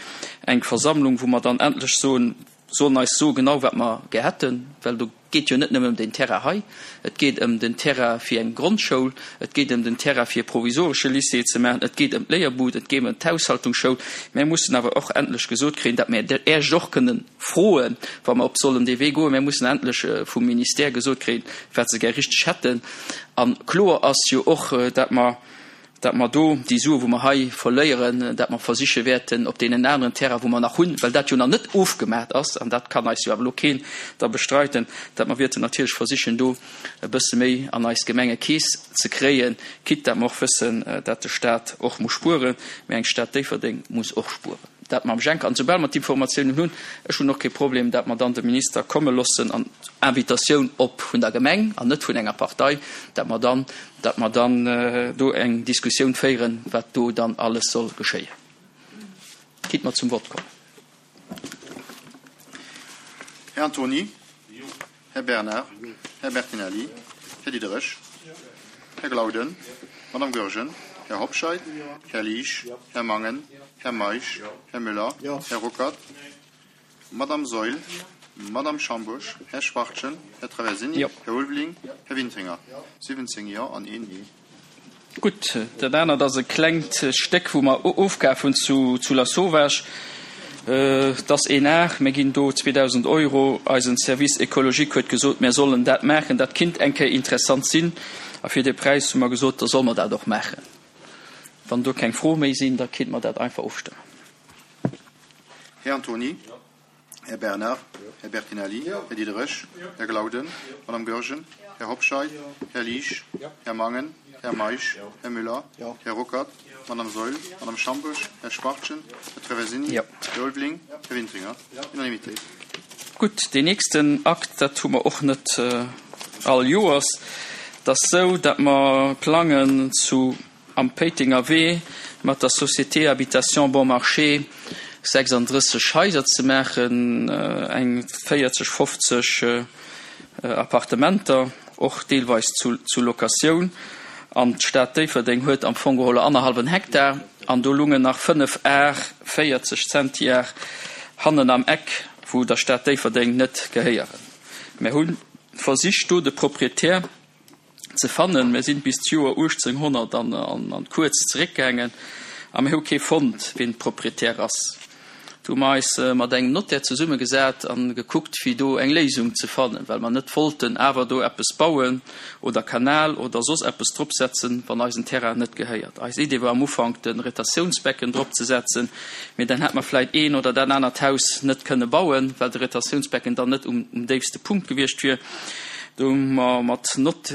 eng Versammlung, wou mer dann endlech soen, sollen eis soen genau wat mer gär hätten, well do geet jo net nëmmen ëm deen Terrain hei, et geet ëm den Terrain fir eng Grondschoul, et geet ëm den Terrain fir e provisoresche Lycée ze maachen, et geet ëm d'Léierbud, et geet ëm d'Haushaltungsschoul. Mär mussen awer och endlech gesot kréien, datt mär Iech och kënnen froen, wa mer op sollen dee Wee goen. Mär mussen endlech vum Ministère gesot kréien, wat se gär richteg hätten. A kloer ass jo och, datt mer, datt mer do déi Sue wou mer hei verléieren, datt mer versiche wäerten op deenen aneren Terrainen, wou mer nach hunn, well dat jo nach net ofgemaacht ass, an dat kann eis jo awer elo keen da bestreiten, datt mer wäerten natierlech versichen do e bësse méi an eis Gemengekeess ze kréien, quitte datt mer och wëssen, datt de Stat och muss spueren, mä eng Stad Déifferdeng muss och spueren. Dat mam Jencker. An soubal mer d'Informatiounen hunn, ech hunn och kee Problem, datt mer dann de Minister komme loossen an Invitatioun op vun der Gemeng an net vun enger Partei, datt mer dann, datt mer dann do eng Diskussioun féieren, wat do dann alles soll geschéien. Quitte mer zum Vott kommen. Här Antony. Här Bernard. Här Bertinelli. Här Diderich. Här Glauden. Madame Goergen. Här Hobscheit. Här Liesch. Här Mangen. Här Meisch. Här Müller. Här Ruckert. Madame Saeul. Madame Schambusch, Här Schwachtgen, Här Traversini, Jo. Här Ulveling, Här Wintringer. Siwwenzéng Jo an een Nee. Gutt, dat anert ass e klengt Stéck, wou mer ofkaf hunn zu zu Lasauvage. Et ass een Ar, mir ginn do zweedausend Euro. Eisen Service écologique huet gesot, mir sollen dat maachen, dat kinnt eng Kéier interessant sinn. A fir dee Präis hu mer gesot, da solle mer dat och maachen. Wann do keng Froe méi sinn, da kinnt mer dat einfach ofstëmmen. Här Antony. Här Bernard. Här Bertinelli. Här Diderich. Här Glauden. Madame Goergen. Här Hobscheit. Här Liesch. Här Mangen. Här Meisch. Här Müller. Här Ruckert. Madame Saeul. Madame Schambourg. Här Schwachtgen. Här Traversini. Här Ulveling. Här Wintringer. Unanimitéit. Gutt, deen nächsten Akt, dat hu mer och net all Joers. Et ass esou, datt mer plangen zu am Péitenger Wee mat der Société Habitation Bon Marché sechsandrësseg Haiser ze maachen, eng véierzeg, fofzeg Appartementer, och deelweis zu Locatioun. An d'Stad Déifferdeng huet am Fong geholl annerhallwen Hektar an do lungen nach fënnef Ar véierzeg Zentiar hannen am Eck, wou der Stad Déifferdeng net gehéieren. Mir hu versicht, do de Proprietär ze fannen. Mir sinn bis d'Joer uechtzénghonnert an kuerz zeréckgaangen a mir hu kee fonnt, wien Proprietär ass. Do hu mer eis mat engem Notaire zesummegesat a gekuckt, fir do eng Léisung ze fannen, well mer net wollten awer do eppes bauen oder Kanal oder soss eppes dropsetzen, wann eis en Terrain net gehéiert. Eis Idee war am Ufank, de Retentiounsbecken dropzesetzen, mee dann hätt mer vläicht een oder dat anert Haus net kënne bauen, well de Retentiounsbecken dann net um déifste Punkt gewiescht wier. Do hu mer mat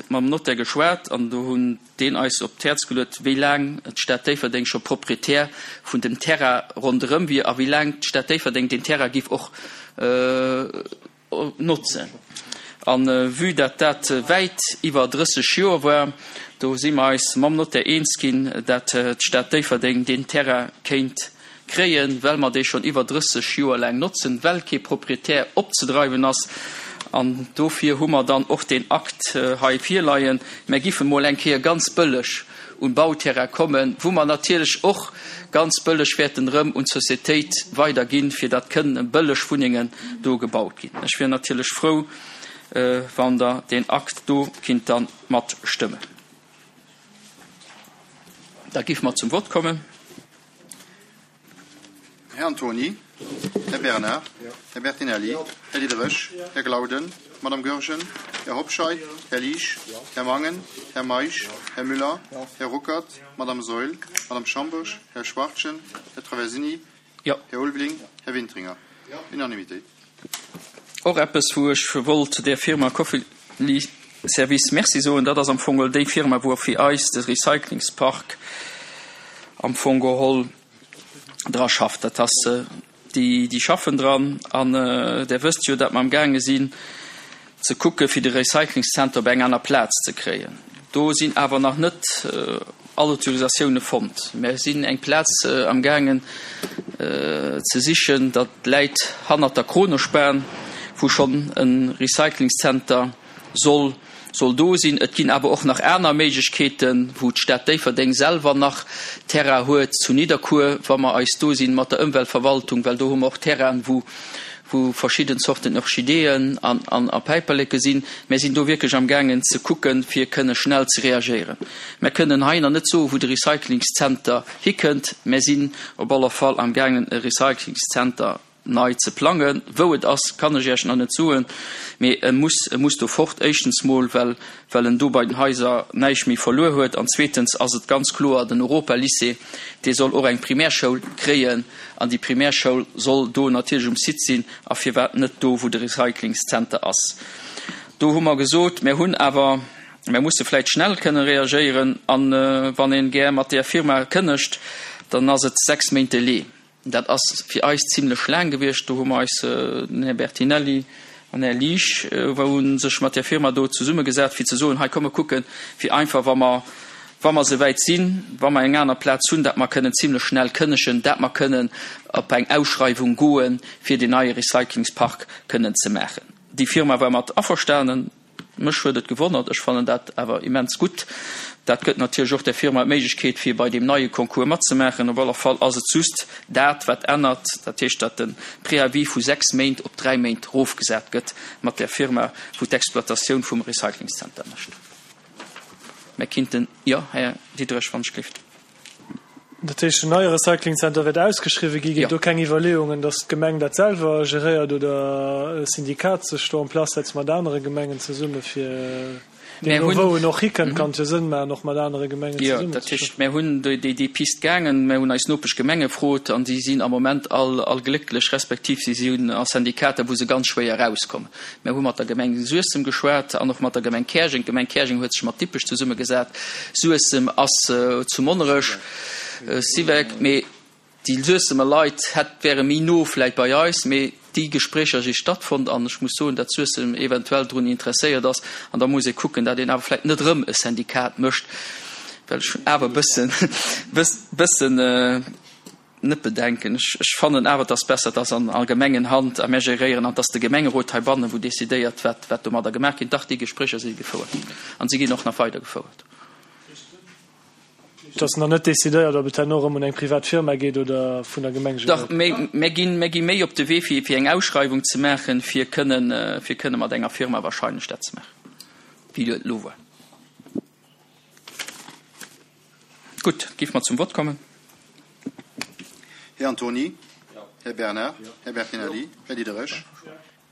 mam Notaire geschwat an do hunn deen eis op d'Häerz geluet, wéi laang d'Stad Déifferdeng scho Proprietär vun dem Terrain ronderëm wier a wéi laang d'Stad Déifferdeng deen Terrain giff och notzen. A vue dat dat wäit iwwer drësseg Joer war, do si mer eis mam Notaire eens ginn, dat d'Stad Déifferdeng deen Terrain kéint kréien, well mer dee schonn iwwer drësseg Joer laang notzen, well kee Proprietär opzedreiwen ass. An dofir hu mer dann och deen Akt hei virleien. Mer giffen emol eng Kéier ganz bëlleg un Bauterrain kommen, wou mer natierlech och ganz bëlleg wäerten erëm un d'Sociétéit weiderginn, fir datt kënnen bëlleg Wunnengen do gebaut ginn. Ech wier natierlech frou, wann Der deen Akt do kinnt dann matstëmmen. Da giffe mer zum Vott kommen. Här Antony, Här Bernard, Här Bertinelli, Här Diderich, Här Glauden, Madame Goergen, Här Hobscheit, Här Liesch, Här Mangen, Här Meisch, Här Müller, Här Ruckert, Madame Saeul, Madame Schambourg, Här Schwachtgen, Här Traversini, Här Ulveling, Här Wintringer. Unanimitéit. Och eppes, wou ech wollt där Firma Cofely Service Merci soen, dat ass am Fong geholl déi Firma, wou fir eis de Recyclingspark am Fong geholl dra schafft. Dat ass, déi, déi schaffen dran. An Der wësst jo, datt mer amgaange sinn ze kucke fir de Recyclingszenter op eng aner Plaz ze kréien. Do sinn awer nach net all Autorisatioune fonnt. Mer sinn eng Plaz amgaangen ze sichen, dat läit hannert der Kronospan, wou schonn e Recyclingszenter soll soll do sinn. Et ginn awer och nach aner Méiglechkeeten, wou d'Stad Déifferdeng selwer nach Terrain huet, zu Nidderkuer, wa mer eis do sinn mat der Ëmweltverwaltung, well do hu mer och Terrainen, wou wou verschidden Zorten Orchideeën an an a Päiperleke sinn. Mär sinn do wierklech amgaangen ze kucken, fir kënne schnell ze reagéieren. Mär kënnen hei nach net soen, wou de Recyclingszenter hikënnt. Mär sinn op alle Fall amgaangen, e Recyclingszenter nei ze plangen. Wou et ass, kann ech Iech nach net soen, mee e muss, e muss do fort. Éischtens mol, well, well en do bei den Haiser näischt méi verluer huet, an zweetens ass et ganz kloer, den Europalycée, dee soll och eng Primärschoul kréien, an déi Primärschoul soll do natierlech um Site sinn, a firwat net do, wou de Recyclingszenter ass. Do hu mer gesot, mir hunn awer, mir musse vläicht schnell kënne reagéieren, a wann ee gär mat där Firma kënnegt, dann ass et sechs Méint Delai. Dat ass fir eis zimlech laang gewiescht. Do hu mer eis, den Här Bertinelli an den Här Liesch, hu sech mat där Firma do zesummegesat, fir ze soen, hei komm mer kucken, fir einfach, wa mer, wa mer esouwäit sinn, wa mer eng aner Plaz hunn, dat mer kënnen zimlech schnell kënnegen, dat mer kënnen op eng Ausschreiwung goen, fir deen neie Recyclingspark kënnen ze maachen. Déi Firma war mat averstanen. Mech huet et gewonnert, ech fannen dat awer immens gutt. Dat gëtt natierlech och der Firma d'Méiglechkeet, fir bei deem neie Concours matzemaachen. Op alle Fall ass et just dat, wat ännert, dat heescht, datt de Préavis vu sechs Méint op dräi Méint erofgesat gëtt mat där Firma, wou d'Exploitatioun vum Recyclingszenter mécht. Mir kinnten, jo, Här Diderich, wann ech gelift. Dat heescht, den neie Recyclingzenter wäert ausgeschriwwen ginn. Ginn et do keng Iwwerleeungen, datt d'Gemeng dat selwer geréiert oder e Syndikat sech do en place setzt mat anere Gemengen zesumme fir deemno wou en och hikënnt, kann et jo Sënn maachen och mat anere Gemengen Jo, zesummen dat ze heescht, schaffen. mär hunn déi déi Pist gaangen, mär hunn eis Nopeschgemenge frot an déi sinn am Moment all all glécklech, respektiv si sinn a Syndikater, wou se ganz schwéier erauskommen. Mär hu mat der Gemeng Suessem geschwat an och mat der Gemeng Käerjeng. D'Gemeng Käerjeng huet sech mat Dippech zesummegesat. Suessem ass zu Monnerech, Syvec, mee déi Suessemer Leit hätt wäre méi no vläit bei eis. Mee déi Gespréicher si stattfonnt an ech muss soen, datt Suessem eventuell drun interesséiert ass. An da muss ee kucken, datt een awer vläit net erëm e Syndikat mécht, well ech hunn awer e bëssen, bëssen, net Bedenken. Ech fannen awer, et ass besser, et ass an Gemengenhand a mär geréieren an et ass de Gemengerot heibannen, wou decidéiert, wat, wat domadder gemaach ginn. Dach, déi Gespréicher si gefouert an si ginn och nach weider gefouert. Et ass nach net decidéiert, ob et herno erëm un eng privat Firma geet oder vun der Gemeng Dach, geréiert gëtt. mär ginn, mär gi méi op de Wee, fir, fir eng Ausschreiwung ze maachen, fir kënnen, fir kënne mat enger Firma wahrscheinlech dat ze maachen, wéi et elo war. Gutt, géife mer zum Vott kommen. Här Antony. Här Bernard. Här Bertinelli. Här Diderich.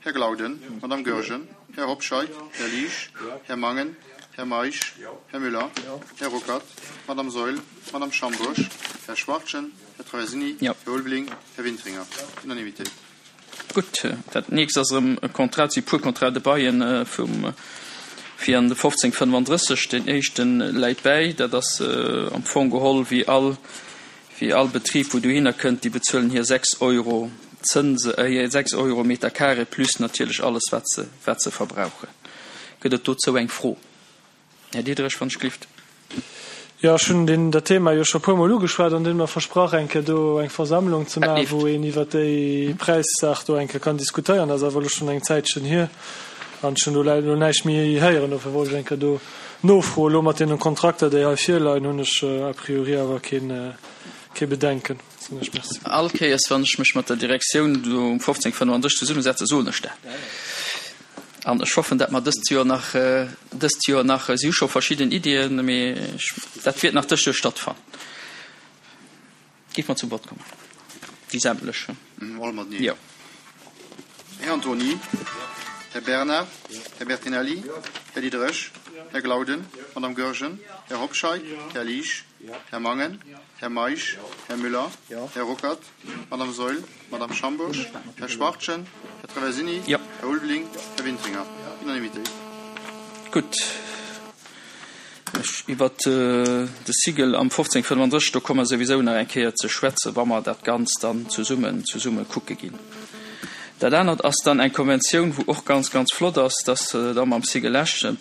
Här Glauden. Madame Goergen. Här Hobscheit. Här Liesch. Här Mangen. Här Meisch. Här Müller. Här Ruckert. Madame Saeul. Madame Schambourg. Här Schwachtgen. Här Traversini. Här Ulveling. Här Wintringer. Unanimitéit. Gutt, dat nächst ass erëm e Contrat, et si puer Contrats de bail vum fir an de fofzéng fënnefandrësseg. Deen éischte läit bäi, dat ass am Fong geholl wéi all wéi all Betrib wou dohinner kënnt, déi bezuelen hir sechs Euro Zënse, hir sechs Euro Meter carré plus natierlech alles wat se wat se verbrauchen. Gëtt et dozou eng Fro? Här Diderich, wann ech gelift. Jo, ech hunn deen, dat Thema jo scho puermol ugeschwat an hunn mer versprach, eng Kéier do eng Versammlung ze Dat maachen, leeft. wou een iwwert déi Präissaach do eng Kéier kann diskutéieren. Dat ass awer elo schonn eng Zäitchen hier an ech hunn do leider elo näischt méi héieren. Dofir wollt ech eng Kéier do nofroen. Elo mat deenen Kontrakter, déi hei virleien, hunn ech a priori awer keen, kee Bedenken. Soen ech Merci. All Kéiers, wann ech mech mat der Direktioun do um fofzéng fënnefandrësseg zesummesetzen, soen ech dat. An ech hoffen, dat mer dëst Joer nach, dëst Joer nach, si hu scho verschidden Iddien, mee ech, dat wäert nach dëst Joer stattfannen. Géife mer zum Vott kommen? Déi sämtlech? All mateneen. Jo. Här Antony. Här Bernard. Här Bertinelli. Här Diderich. Här Glauden. Madame Goergen. Här Hobscheit. Här Liesch. Här Mangen. Här Meisch. Här Müller. Här Ruckert. Madame Saeul. Madame Schambourg. Här Schwachtgen. Här Traversini. Jo. Här Ulveling. Här Wintringer. Unanimitéit. Gutt. Ech, iwwert de Sigel am fofzéng fënnefandrësseg, do komme mer souwisou nach eng Kéier ze schwätzen, wa mer dat Ganzt dann zesummen, zesumme kucke ginn. Dat anert ass dann eng Konventioun, wou och ganz, ganz flott ass, dass da mam Sigel Esch e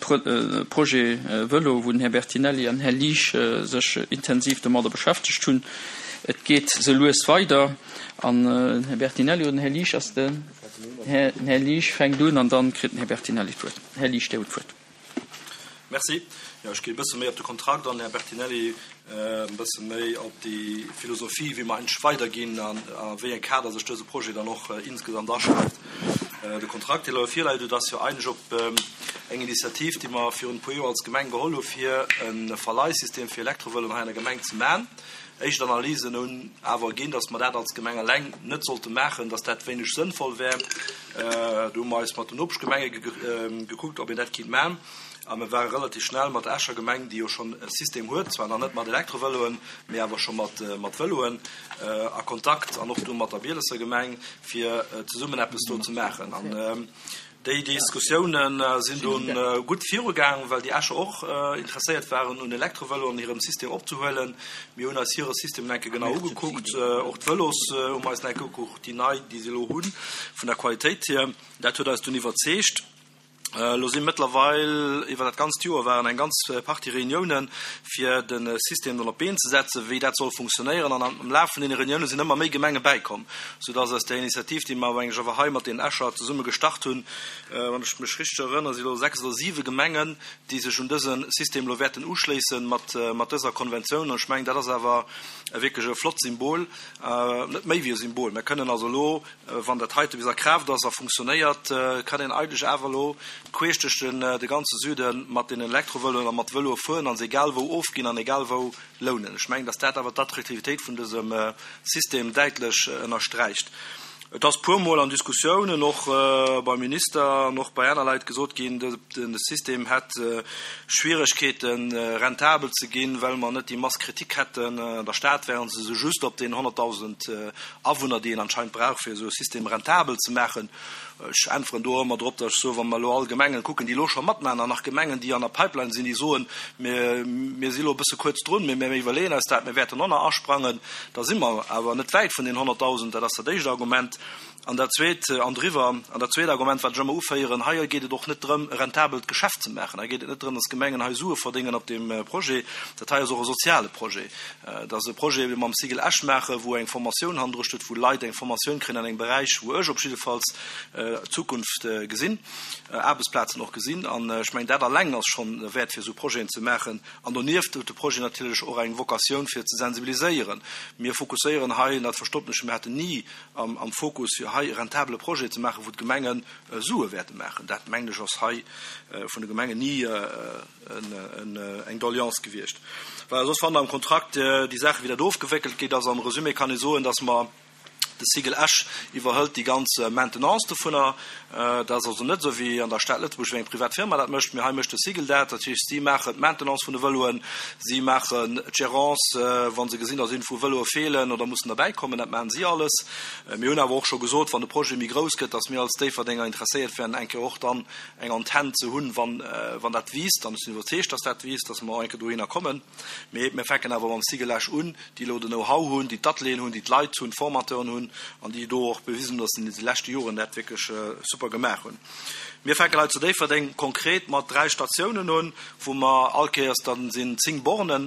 Projet Vëlo, wou den Här Bertinelli an den Här Liesch sech intensiv domadder beschäftegt hunn. Et geet sou lues weider. An den Här Bertinelli oder den Här Liesch ass den? Den Här Liesch fänkt un an dann kritt den Här Bertinelli d'Wuert. Här Liesch, Dir hutt d'Wuert. Merci. Jo, ech ginn e bësse méi op de Kontrakt an, Här Bertinelli, e bësse méi op déi Philosophie, wéi mer eigentlech weiderginn an a wéi eng Kader sech dëse Projet dann och insgesamt aschreift. De Kontrakt, dee elo virläit, dat ass jo eigentlech op eng Initiativ, déi mer virun e puer Joer als Gemeng geholl hu fir e Verleihsystem fir Elektrovëloen hei an der Gemeng ze maachen. Éischt Analysen hunn awer erginn, dass mer dat als Gemeng eleng net sollte maachen, dass dat wéineg sënnvoll wär. Do hu mer eis mat den Nopeschgemenge gekuckt, ob een dat kinnt maachen. A mir ware relativ schnell mat der Escher Gemeng, déi jo schonn e System huet, zwar nach net mat Elektrovëloen, mee awer scho mat Vëloen, a Kontakt an och du mat der Bielesser Gemeng, fir zesummen eppes do ze maachen. An déi Diskussioune sinn dunn gutt virugaang, well déi Escher och interesséiert waren, un Elektrovëloen hirem System opzehuelen. Mir hunn eis hire System enke genau ugekuckt, och d'Vëlos hu mer eis enke ugekuckt, déi nei, déi se elo hunn, vun der Qualitéit hier. Dat huet eis dunn iwwerzeegt. Elo si mëttlerweil iwwer dat ganzt Joer waren eng ganz Partie Reuniounen, fir de System dann op d'Been ze setzen, wéi dat soll funktionéieren. An am Laf vun deene Reunioune sinn ëmmer méi Gemenge bäikomm, soudass aus där Initiativ, déi mer mengen ech awer hei mat deenen Escher zesumme gestart hunn, wann ech mech richteg erënnere, si elo sechs oder siwe Gemengen, déi sech un dëse System elo wäerten uschléisse mat dëser Konventioun. An ech mengen, dat ass awer wierklech e flott Symbol, net méi wéi e Symbol. Mir kënnen also elo, wann dat heite bis a Kraaft ass a funktionéiert, kann een eigentlech awer elo queesch duerch den de ganze Süde mat den Elektrovëloen a mat Vëloe fueren a se egal wou ofginn an egal wou lounen. Ech mengen, dass dat awer d'Attraktivitéit vun dësem System däitlech ënnersträicht. Et ass puermol an Diskussiounen, och beim Minister an och bei aner Leit gesot ginn, de System hätt Schwieregkeeten, rentabel ze ginn, well mer net déi Masse critique hätten. An der Stad wären se esou just op den honnertdausend Awunner, déi een anscheinend brauch, fir esou e System rentabel ze maachen. Ech äntweren do ëmmer drop, datt ech soen, wa mer elo all Gemengen kucken, déi elo scho matmaachen, an nach Gemengen, déi an der Pipeline sinn, déi soen, mir, mir si elo e bësse kuerz drun, mee mir iwwerleeën eis dat, mir wäerten och nach asprangen, da si mer awer net wäit vun den honnertdausend. Dat ass dat éischt Argument. An dat zweet, an driwwer, an dat zweet Argument, wat ech ëmmer uféieren, hei geet et och net drëm, e rentabelt Geschäft ze maachen. Hei geet et net drëm, datt d'Gemengen hei Sue verdéngen op deem Projet. Dat hei ass och e soziale Projet. Et ass e Projet, dee mer mam Cigl Esch maachen, wou eng Formatioun hannendru steet, wou Leit eng Formatioun kréien an engem Beräich, wou ech op jiddefalls d'Zukunft gesinn, Aarbechtsplazen och gesinn. An ech mengen, dat alleng ass schonn derwäert, fir esou Projeten ze maachen. An donieft huet de Projet natierlech och eng Vokatioun, fir ze sensibiliséieren. Mir fokusséieren hei, an dat verstoppt mech, mir haten ni am Fokus, fir hei e rentabele Projet ze maachen, wou d'Gemenge Sue wäerte maachen. Dat, mengen ech, ass hei vun de Gemengen ni eng Doleance gewiescht. Voilà, soss fannt Der am Kontrakt déi Saachen, wéi dat ofgewéckelt gétt ass. Am Resumé kann ee soen, dass mer, De Cigl Esch iwwerhëlt déi ganz Maintenance dovunner. Dat ass also net esou wéi an der Stad Lëtzebuerg, wéi eng privat Firma dat mécht, mee hei mécht de Cigl dat. Dat heescht, si maachen d'Maintenance vun de Vëloen, si maachen d'Gérance, wa se gesinn, datt iergendwou Vëloe feelen oder mussen derbäikommen. Dat maachen si alles. Mir hunn awer och scho gesot, wann de Projet méi grouss gëtt, datt mir als Déifferdenger interesséiert wären, eng Kéier och dann eng Antenn ze hunn, wann dat wiisst. An ech sinn iwwerzeegt, datt dat wiisst, datt mer och eng Kéier dohinner kommen. Mee mir fänken awer mam Cigl Esch un, déi elo den Know-how hunn, déi d'Atelieren hunn, déi d'Leit hunn, d'Formateuren hunn an déi do och bewisen hunn, dass se an de leschte Joren dat wierklech super gemaach hunn. Mir fänken hei zu Déifferdeng konkret mat dräi Statiounen un, wou mer all Kéiers, da sinn zéng Borne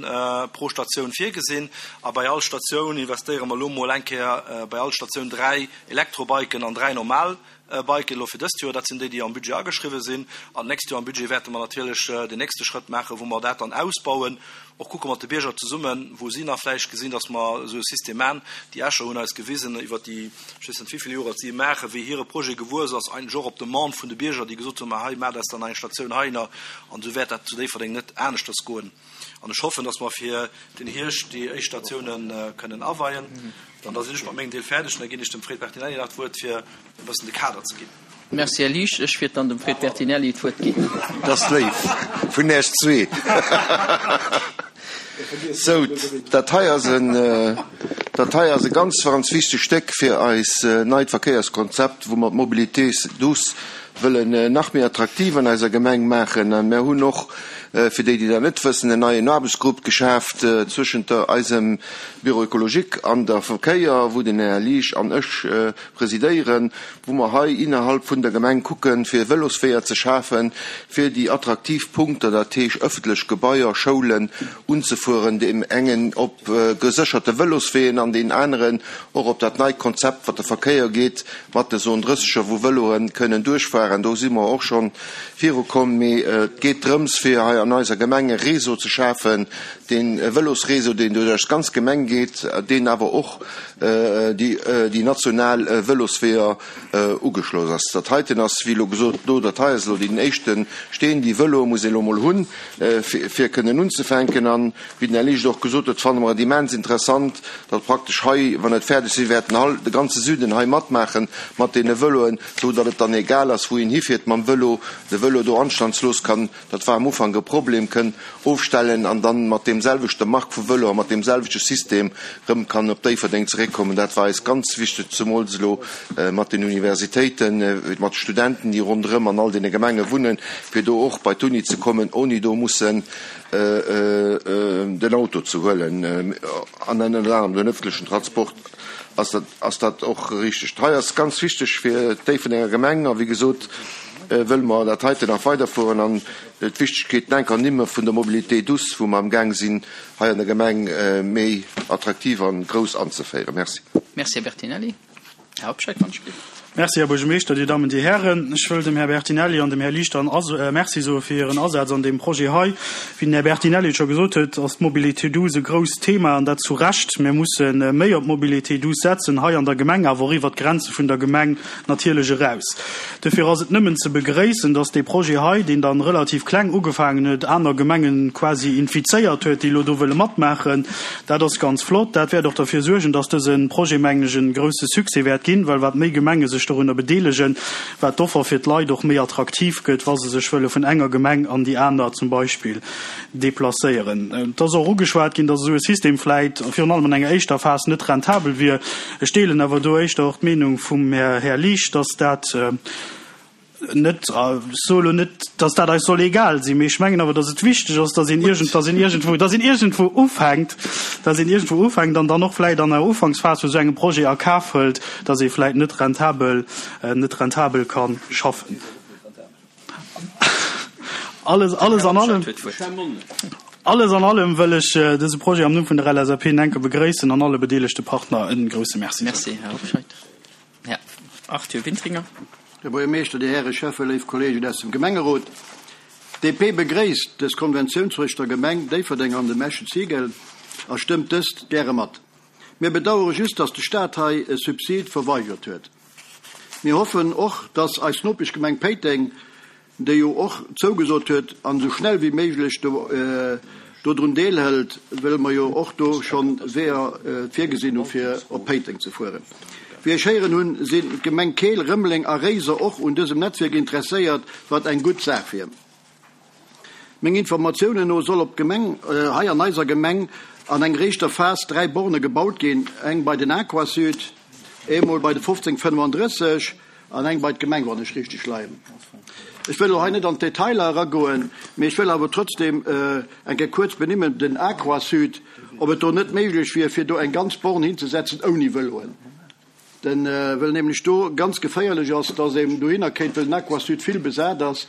pro Statioun virgesinn a bei all Statioun investéiere mer elo mol eng Kéier bei all Statioun dräi Elektrobiken an dräi normal Biken elo fir dëst Joer. Dat sinn déi, déi am Budget ageschriwwen sinn. An d'nächst Joer am Budget wäerte mer natierlech den nächste Schrëtt maachen, wou mer dat dann ausbauen, och kucke mat de Bierger zesummen, wou si nach vläicht gesinn, dass mer esou e System maachen. Déi Escher hunn eis gewisen iwwert déi, ech weess net wéi vill Joer et si maachen, wéi hire Projet gewuess ass, eigentlech och op Demande vun de Bierger, déi gesot hunn, ma hei maacht eis dann eng Statioun heihinner. An esou wäert dat zu Déifferdeng net aneschters goen. An ech hoffen, dass mer fir den Hierscht déi éischt Statioune kënnen aweien. An da sinn ech mat mengem Deel fäerdeg an da ginn ech dem Fred Bertinelli nach d'Wuert, fir e bëssen de Kader ze ginn. Merci, Här Liesch. Ech wiert dann dem Fred Bertinelli d'Wuert ginn. Dat ass léif vun Iech zwee. Sou, dat hei ass en, dat hei ass e ganz, ganz wichteg Stéck fir eis neit Verkéierskonzept, wou mer d'Mobilité douce wëllen nach méi attraktiv an eiser Gemeng maachen. A mir hunn och, fir déi, déi dat net wëssen, en neien Aarbechtsgrupp geschaaft zwëschent der eisem Bureau écologique an der Verkéier, wou den Här Liesch an ech presidéieren, wou mer hei innerhalb vun der Gemeng kucken, fir Vëlosweeër ze schafen, fir déi attraktiv Punkter, dat heesch ëffentlech Gebaier, Schoulen, unzefueren, deem engen op gesécherte Vëlosweeën an deen aneren och op dat neit Konzept, wat de Verkéier geet, mat de Zone drësseger, wou Vëloe kënnen duerchfahren. Do si mer och scho virukomm. Mee et geet drëms, fir hei an eiser Gemeng e Réseau ze schafen, dee Vëlosréseau, deen duerch eis ganz Gemeng geet, deen awer och déi national Vëlosweeër ugeschloss ass. Dat heiten ass, wéi elo gesot, do, dat hei ass elo deen éischte Steen. Déi Vëloe muss ee elo mol hunn, fir kënnen unzefänken. An, wéi den Här Licht och gesot huet, fanne mer et immens interessant, datt praktesch hei, wann et fäerdeg sinn, wäerten all de ganze Süden hei matmaache mat deene Vëloen, esou datt et dann egal ass, wou een hifiert mam Vëlo, de Vëlo do anstandslos kann, dat war am Ufank e Problem, kënn ofstellen an dann mat deem selwechte Mark vu Vëlo a mat deem selwechte System rëm kann op Déifferdeng zeréckkommen. Dat war eis ganz wichteg, zemools elo mat den Universitéiten, mat de Studenten, déi ronderëm an all deene Gemenge wunnen, fir do och bei d'Uni ze kommen, ouni do mussen den Auto ze huelen an ënnert anerem den öffentlechen Transport ass dat, ass dat och richteg. Hei ass ganz wichteg fir d'Déifferdenger Gemeng a wéi gesot, wëlle mer dat heiten nach weiderfueren an d'Wichtegkeet enk ernimme vun der Mobilité douce, wou mer amgaang sinn, hei an der Gemeng méi attraktiv an grouss anzeféieren. Merci. Merci, Här Bertinelli. Här Hobscheit, wann ech gelift. Merci, Här Buergermeeschter, Dir Dammen, Dir Hären. Ech wëll dem Här Bertinelli an dem Här Lichter Merci soe fir hiren Asaz an deem Projet hei. Wéi den Här Bertinelli et scho gesot huet, ass d'Mobilité douce e grousst Thema, an dat zu Recht. Mir musse méi op d'Mobilité douce setzen, hei an der Gemeng, awer och iwwert d'Grenze vun der Gemeng natierlech eraus. Dofir ass et nëmmen ze begréissen, dass dee Projet hei, deen dann relativ kleng ugefaangen huet, aner Gemengen quasi infizéiert huet, déi elo do wëlle matmaachen. Dat ass ganz flott. Dat wäert och derfir suergen, dass dëse Projet, mengen ech, e grousse Succès wäert ginn, well wat méi Gemenge sech dorunner bedeelegen, wat d'Offer fir d'Leit och méi attraktiv gëtt, wa se sech wëlle vun enger Gemeng an déi aner zum Beispill deplacéieren. Et ass och ugeschwat ginn, dass esou e System vläit virun allem an enger éischter Phas net rentabel wier. Ech deelen awer do éischter och d'Meenung vum Här Liesch, dass dat net, ech soe lo net, dass dat eis soll egal sinn, mee ech mengen awer, dass et wichteg ass, dass een iergend, dass een iergendwou, dass een iergendwou ufänkt, dass een iergendwou ufänkt an dann och vläit an der Ufanksphas vu sou engem Projet a Kaf hëlt, dass ee vläit net rentabel, net rentabel ka schaffen. Alles, alles an allem, alles an allem wëll ech dëse Projet am Numm vun der L S A P enke begréissen an alle bedeelegte Partner e grousse Merci soen. Merci, Här Hobscheit. Här Arthur Wintringer. Här Buergermeeschter, Dir Häre Schäffen, léif Kolleegen aus dem Gemengerot, D P begréisst dës Konventioun zwëscht der Gemeng Déifferdeng an dem Eschen Cigl a stëmmt dëst gäre mat. Mir bedauere just, dass de Staat hei e Subsid verweigert huet. Mir hoffen och, dass eis Nopeschgemeng Péiteng, déi jo och zougesot huet an esou schnell wéi méiglech do dodrun deelhëlt, wëll mer jo och do schonn Weeër virgesinn hu fir op Péiteng ze fueren. Wéi ech héieren hunn, sinn d'Gemeng Keel, Rëmeleng a Réiser och un dësem Netzwierk interesséiert, wat eng gutt Saach wier. Meng Informatiounen no soll op d'Gemeng hei an eiser Gemeng an enger éischter Phas dräi Borne gebaut ginn, eng bei den Aquasud, eemol bei de fofzéng fënnefandrësseg an eng bei d'Gemeng, wann ech richteg leien. Ech wëll elo hei net an d'Detailer eragoen, mee ech wëll awer trotzdem eng Kéier kuerz benimmen, den Aquasud, ob et do net méiglech wier, fir do eng ganz Born hinzesetzen ouni Vëloen. Den, wëll nämlech do ganz geféierlech ass, dass een dohinner kéint, wëll den Aquasud vill besat ass,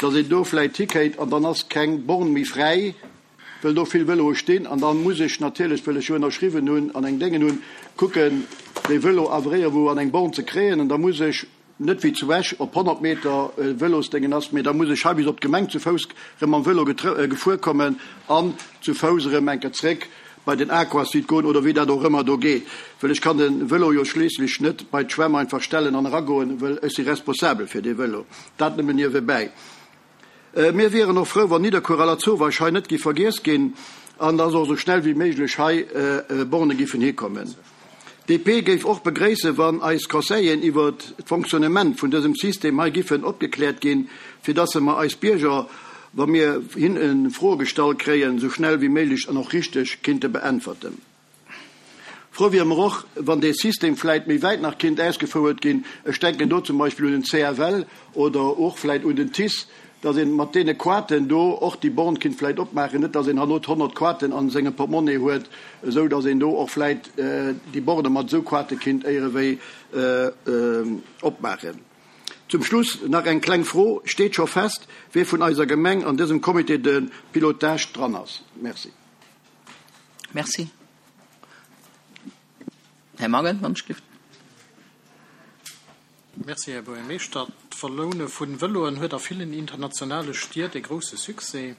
dass een do vläicht hikéint an dann ass keng Born méi fräi, wëll do vill Vëloe stinn an dann muss ech natierlech, wëll ech jo ënnerschriwwen hunn an eng Déngen hunn, kucken, dee Vëlo awer iergendwou an eng Born ze kréien an da muss ech net wéi zu Esch op honnert Meter Vëlosdéngen ass, mee da muss ech hei bis op d'Gemeng zu Fouss erëm mam Vëlo gefuer kommen an zu Fouss erëm eng Kéier zréck bei den Aquasud goen oder wéi dat och ëmmer do geet, wëll ech kann de Vëlo jo schliisslech net bei d'Schwämm einfach stellen an eragoen, wëll ech si responsabel fir dee Vëlo. Dat nëmmen niewebäi. Mir wieren och frou, wann Nidderkuer a Lasauvage hei net gi vergiess ginn an dass och esou schnell wéi méiglech hei Borne giffen hikommen. D P géif och begréissen, wann eis Conseilleren iwwer d'Fonctionnement vun dësem System hei giffen opgekläert ginn, fir dass mer eis Bierger, wa mir hinne Froe gestallt kréien, esou schnell wéi méiglech an och richteg kinnte beäntwerten. Frou wiere mer och, wann dee System vläit méi wäit nach kinnt ausgefouert ginn, ech denken do zum Beispill un den C F L oder och vläit un den T I C E, dass een mat deene Kaarten do och déi Born kinnt vläit opmaachen, net dass een herno honnert Kaarten an sengem Portemonnaie huet, esou dass een do och vläit déi Borne mat esou Kaarte kinnt éierewéi opmaachen. Zum Schluss nach eng kleng Fro, Steet scho fest, wie vun eiser Gemeng an dësem Comité de pilotage dran ass? Merci. Merci. Här Mangen, wann ech gelift. Merci, Här Buergermeeschter. D'Verloune vun Vëloen huet a villen internationale Stied e grousse Succès.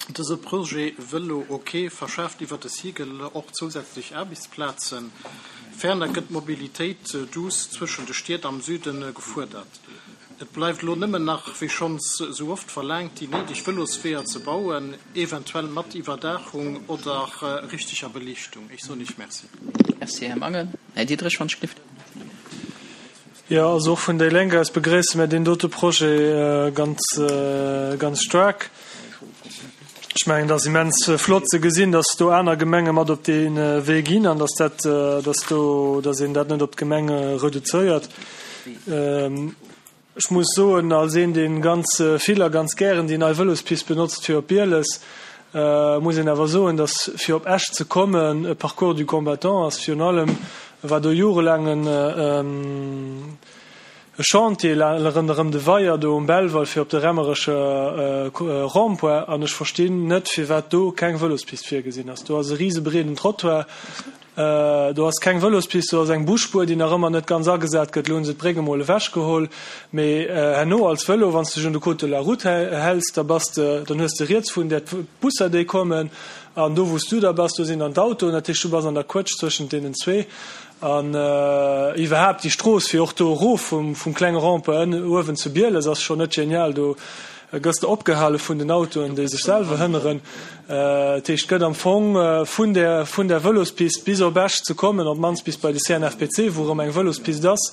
Dëse Projet Vëlo OK verschaaft iwwer de Cigl och zousätzlech Aarbechtsplazen. Ferner gëtt d'Mobilitéit douce zwëschen de Stied am Süde gefuerdert. Et bleift elo nëmmen nach, wéi schonns sou oft verlaangt, déi néideg Vëlosweeër ze bauen, eventuell mat Iwwerdaachung oder richteger Beliichtung. Ech soen Iech Merci. Merci, Här Mangen. Här Diderich, wann ech gelift. Jo, also och vun déi Lénk aus begréisse mir deen dote Projet ganz, ganz staark. Ech mengen, et ass immens flott ze gesinn, dass do aner Gemenge mat op dee Wee ginn an dass dat, dass do, dass een dat net op d'Gemenge reduzéiert. Ech muss soen, als een, dee ganz vill a ganz gären déi nei Vëlospist benotzt fir op Bieles, muss een awer soen, dass fir op Esch ze kommen e Parcours du combattant ass. Virun allem war do jorelaang en e Chantier ronderëm de Weier do um Belval fir op de Remmerecher Rond-point an ech verstinn net, firwat do keng Vëlospist virgesinn ass. Do ass e risebreeden Trottoir, do ass keng Vëlospist, do ass eng Busspuer, déi nach ëmmer net ganz agesat gëtt. Elo hu se d'Bréck emol ewechgeholl, mee herno als Vëlo, wann s de dech un de Code de la route häls, da bass de, dann hues de riets vun där d'Busser, déi kommen, an do wou s du da bass, do sinn dann d'Autoen. Dat heescht, du bass an der Quëtsch zwëschent deenen zwee. An iwwerhaapt déi Strooss fir och do erof vum, vum klenge Rond-point ënn uewen zu Bieles ass schonn net genial. Do gëss de opgehale vun den Autoen, déi sech selwer hënneren. Dat heescht, et gëtt am Fong vun där, vun där Vëlospist bis op Esch ze kommen, op d'mannst bis bei de C N F P C, wou erëm eng Vëlospist ass,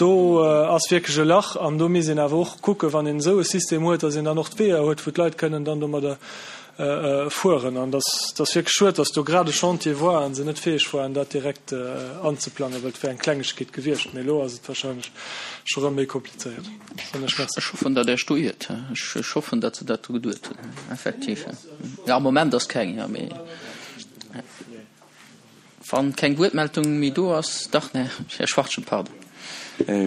do ass wierklech e Lach. An do misst een awer och kucken, wann een esou e System huet, datt een dann och d'Weeër huet, wou d'Leit kënnen dann domadder fueren. An dat ass wierklech schued, datt do grad e Chantier war an se net fäeg waren, dat direkt anzeplangen, well et wär eng Klengegkeet gewiescht. Mee elo ass et wahrscheinlech scho rëm méi komplizéiert. Soen ech Merci. Ech hoffen, datt Iech do iert. Ech hoffen, datt se dat do geduet hunn, effektiv. Jo, am Moment ass keng, jo, mee wann keng Wuertmeldung méi do ass, dach, Här Schwachtgen, pardon.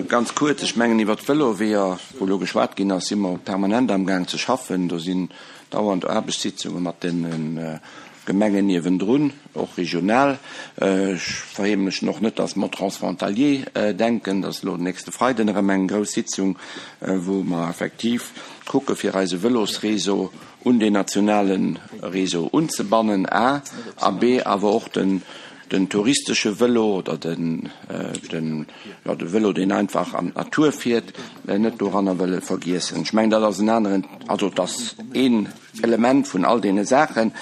Ganz kuerz, ech mengen iwwert d'Vëloweeër, wou elo geschwat ginn ass, si mer permanent amgaang ze schaffen. Do sinn dauernd Aarbechtssitzunge mat de Gemengen niewendrun, och regional. Ech verheemlechen och net, dass mer transfrontalier denken. Dat ass elo den nächste Freiden erëm eng grouss Sitzung, wou mer effektiv kucke fir eise Vëlosréseau un deen nationale Réseau unzebannen, a, a b, awer och den den touristesche Vëlo oder den, den, jo, de Vëlo, deen einfach an d'Natur fiert, net doranner wëlle vergiessen. Ech mengen, dat ass en aneren, also et ass een Element vun all deene Saachen.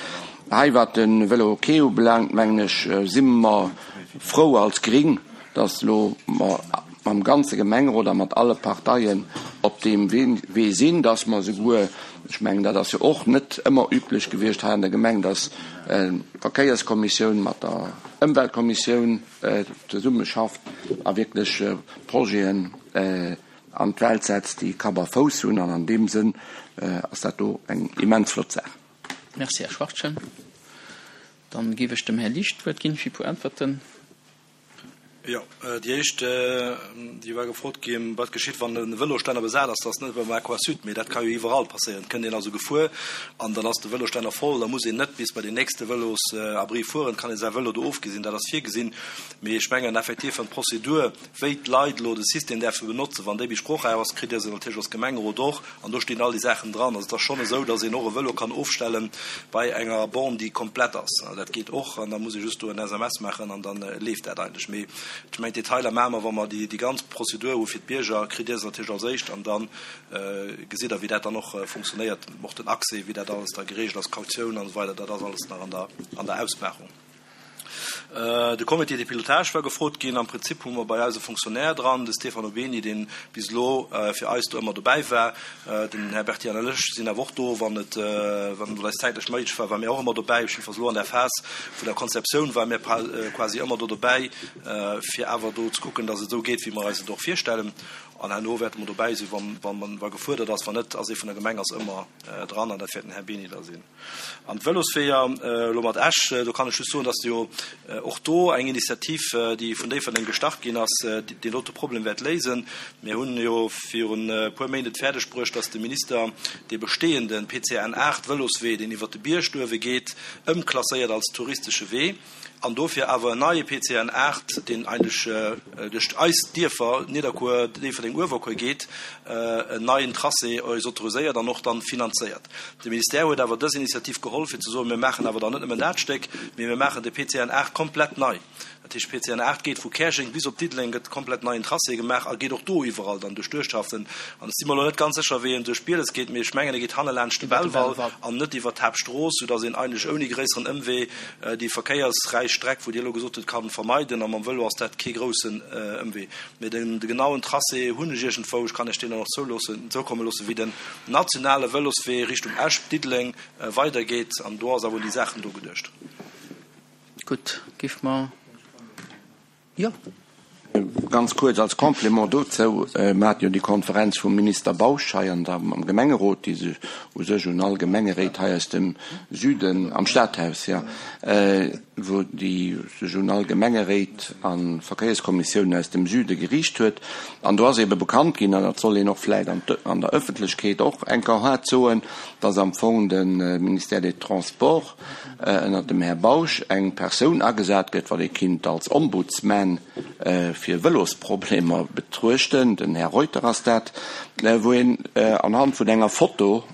Hei, wat de Vëlo-Quai ubelaangt, mengen ech, si mer frou als Gring, dass elo mer mam ganze Gemengerot a mat alle Parteien op deem Wee sinn, dass mer esouguer, ech mengen, dat ass jo och net ëmmer üblech gewiescht hei an der Gemeng, dass d'Verkéierskommissioun mat der Ëmweltkommissioun zesummeschafft a wierklech Projeten an d'Welt setzt, déi Kapp a Fouss hunn. An an deem Sënn ass dat do eng immens flott Saach. Merci, Här Schwachtgen. Dann géif ech dem Här Liesch d'Wuert ginn fir e puer Äntwerten. Jo, déi éischt, déi war gefrot ginn, wat geschitt, wann e Vëlosstänner besat ass. Dat ass net beim Aquasud, mee dat ka jo iwwerall passéieren. Et kënnt een also gefuer an dann ass de Vëlosstänner voll. Da muss een net bis bei den nächste Vëlosabri fueren, kann ee säi Vëlo do ofgesinn. Dat ass virgesinn. Mee ech mengen effektiv, wann d'Prozedur, wéi d'Leit elo de System däerfe benotzen, wann déi bis sprochräif ass, kritt Dir se natierlech als Gemengerot och an do stinn all déi Saachen dran. Also et ass schonn esou, datt een och e Vëlo kann ofstelle bei enger Borne, déi komplett ass. Dat geet och an da muss ee just do en S M S maachen an da leeft dat eigentlech. Mee ech mengen, d'Detailer maache mer, wa mer déi ganz Prozedur hu fir d'Bierger, kritt Dir se natierlech als éischt an da gesitt Der, wéi dat dann och funktionéiert, och den Accès, wéi dat alles da geregelt ass, Kautioun an esou weider, dat ass alles nach an der an der Ausmaachung. De Comité de pilotage war gefrot ginn. Am Prinzip hu mer bei eis e Fonctionnaire dran, de Stefano Beni, dee bis elo fir eis do ëmmer dobäi war. Den Här Berti an ech sinn awer och do, wann et wann et eis zäitlech méiglech war, ware mir och ëmmer dobäi. Jiddefalls elo an der Phas vun der Konzeptioun ware mir quasi ëmmer do dobäi, fir awer do ze kucken, datt et esou geet, wéi mer eis et och virstellen. An herno wäerte mer dobäi sinn, wann wann wa gefuerdert ass. Wann net, ass ee vun der Gemeng ass ëmmer dran an dat wäert den Här Beni da sinn. An d'Vëlosweeër elo mat Esch, do kann ech just soen, datt jo och do eng Initiativ, déi vun Déifferdeng gestart ginn ass, deen dote Problem wäert léisen. Mir hunn jo virun e puer Méint et fäerdeg bruecht, datt de Minister dee bestehende P C N aacht Vëloswee, deen iwwert de Bierg duerwe geet, ëmklasséiert als touristesche Wee an dofir awer en neie P C N aacht, deen eigentlech duerch eis Dierfer Nidderkuer, Déifferdeng, Uewerkuer geet, en neien Tracé eis autoriséiert an och dann finanzéiert. De Ministère huet awer dës Initiativ geholl, fir ze soen, mir maachen awer dann net nëmmen dat Stéck, mee mir maachen de P C N aacht komplett nei. Dat heescht, P C N aacht geet vu Käerjeng bis op Diddeleng, gëtt komplett neien Tracé gemaach a geet och do iwwerall dann duerch d'Uertschaften. An ech si mer elo net ganz sécher, wéi en duerch Bieles geet, mee ech mengen, e geet hanne laanscht de Belval an net iwwert d'Haaptstrooss, soudass een eigentlech ouni gréisseren Ëmwee déi verkéiersräich Streck, wou Dir elo gesot hutt, ka vermeiden. A mam Vëlo ass dat kee groussen Ëmwee. Mee den de genauen Tracé hunn ech iergendwou, ech kann Iech deen dann och zouloossen, zoukomme loossen, wéi den nationale Vëloswee Richtung Esch, Diddeleng weidergeet. An do ass awer un déi Saachen do geduecht. Gutt, géife mer. Jo. Ganz kuerz als Complément dozou, Mer haten jo déi Konferenz vum Minister Bausch hei an der, am Gemengerot, déi sech u sech un all Gemengeréit hei aus dem Süden, am Stadhaus, jo, wou déi sech un all Gemengeréit a Verkéierskommissiounen aus dem Süde geriicht huet. An do ass eebe bekannt ginn, an dat soll een och vläicht an an der Öffentlechkeet och eng Kéier haart soen, dass am Fong de Ministère des Transports ënnert dem Här Bausch eng Persoun agesat gëtt, wat ee kinnt als Ombudsman fir Vëlosproblemer betruechten, den Här Reuter ass dat, wou een anhand vun enger Foto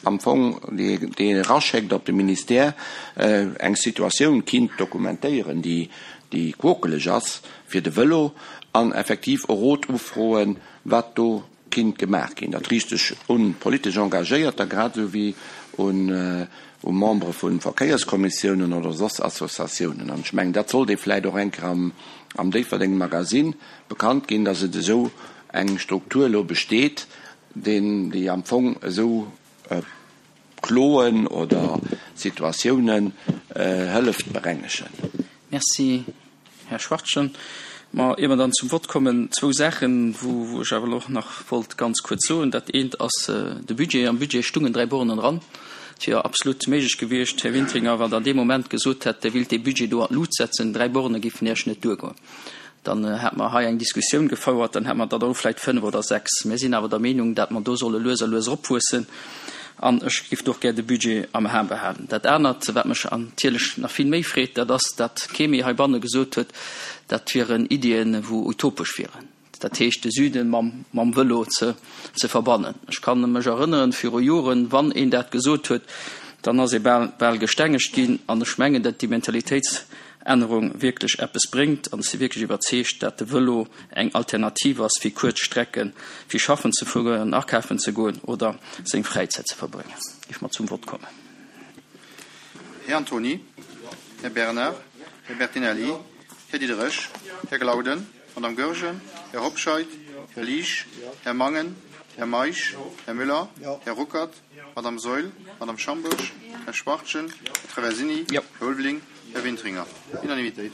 am Fong, déi een eraschéckt op de Ministère, eng Situatioun kinnt dokumentéieren, déi quokeleg ass fir de Vëlo, an effektiv e Rot ufroen, wat do kinnt gemaach ginn. Dat riicht sech un politesch Engagéierter grad esou wéi un u Membere vu Verkéierskommissiounen oder soss Associatiounen. An ech mengen, dat sollt ee vläicht och eng Kéier am, am Déifferdeng Magazine bekannt ginn, dass et esou eng Struktur elo besteet, deen, déi am Fong esou Kloen oder Situatiounen hëlleft berengegen. Merci, Här Schwachtgen. Ma ier mer dann zum Vott kommen, zwou Saachen, wou, wou ech awer elo och nach wollt ganz kuerz soen. Dat eent ass de Budget. Am Budget stungen dräi Bornen dran. Et wier absolut méiglech gewiescht, Här Wintringer, wann Der dee Moment gesot hätt, Der willt dee Budget do an d'Lut setzen, dräi Borne géifen Iech net duergoen. Dann hätte mer hei eng Diskussioun gefouert, dann hätte mer der elo vläicht fënnef oder sechs. Mir sinn awer der Meenung, dat mer do solle lues a lues eropwuessen. An ech géif do och gär de Budget am A behalen. Dat anert, wat mech natierlech nach vill méi freet, dat ass, dat kee méi heibanne gesot huet, dat wieren Iddien, wou utopesch wieren, dat heescht de Süden mam, mam Vëlo ze, ze verbannen. Ech kann mech erënneren, viru Joren, wann een dat gesot huet, dann ass ee bal, bal gestengegt ginn. An ech mengen, dat déi Mentalitéitsännerung wierklech eppes bréngt. An ech si wierklech iwwerzeegt, dat de Vëlo eng Alternativ ass fir kuerz Strecken, fir schaffen ze fueren, akafen ze goen oder seng Fräizäit ze verbréngen. Géif mer zum Vott kommen. Här Antony, Här Bernard, Här Bertinelli, Här Diderich, Här Glauden, Madame Goergen, Här Hobscheit, Här Liesch, Här Mangen, Här Meisch, Här Müller, Här Ruckert, Madame Saeul, Madame Schambourg, Här Schwachtgen, Här Traversini, Här Ulveling, Här Wintringer. Unanimitéit.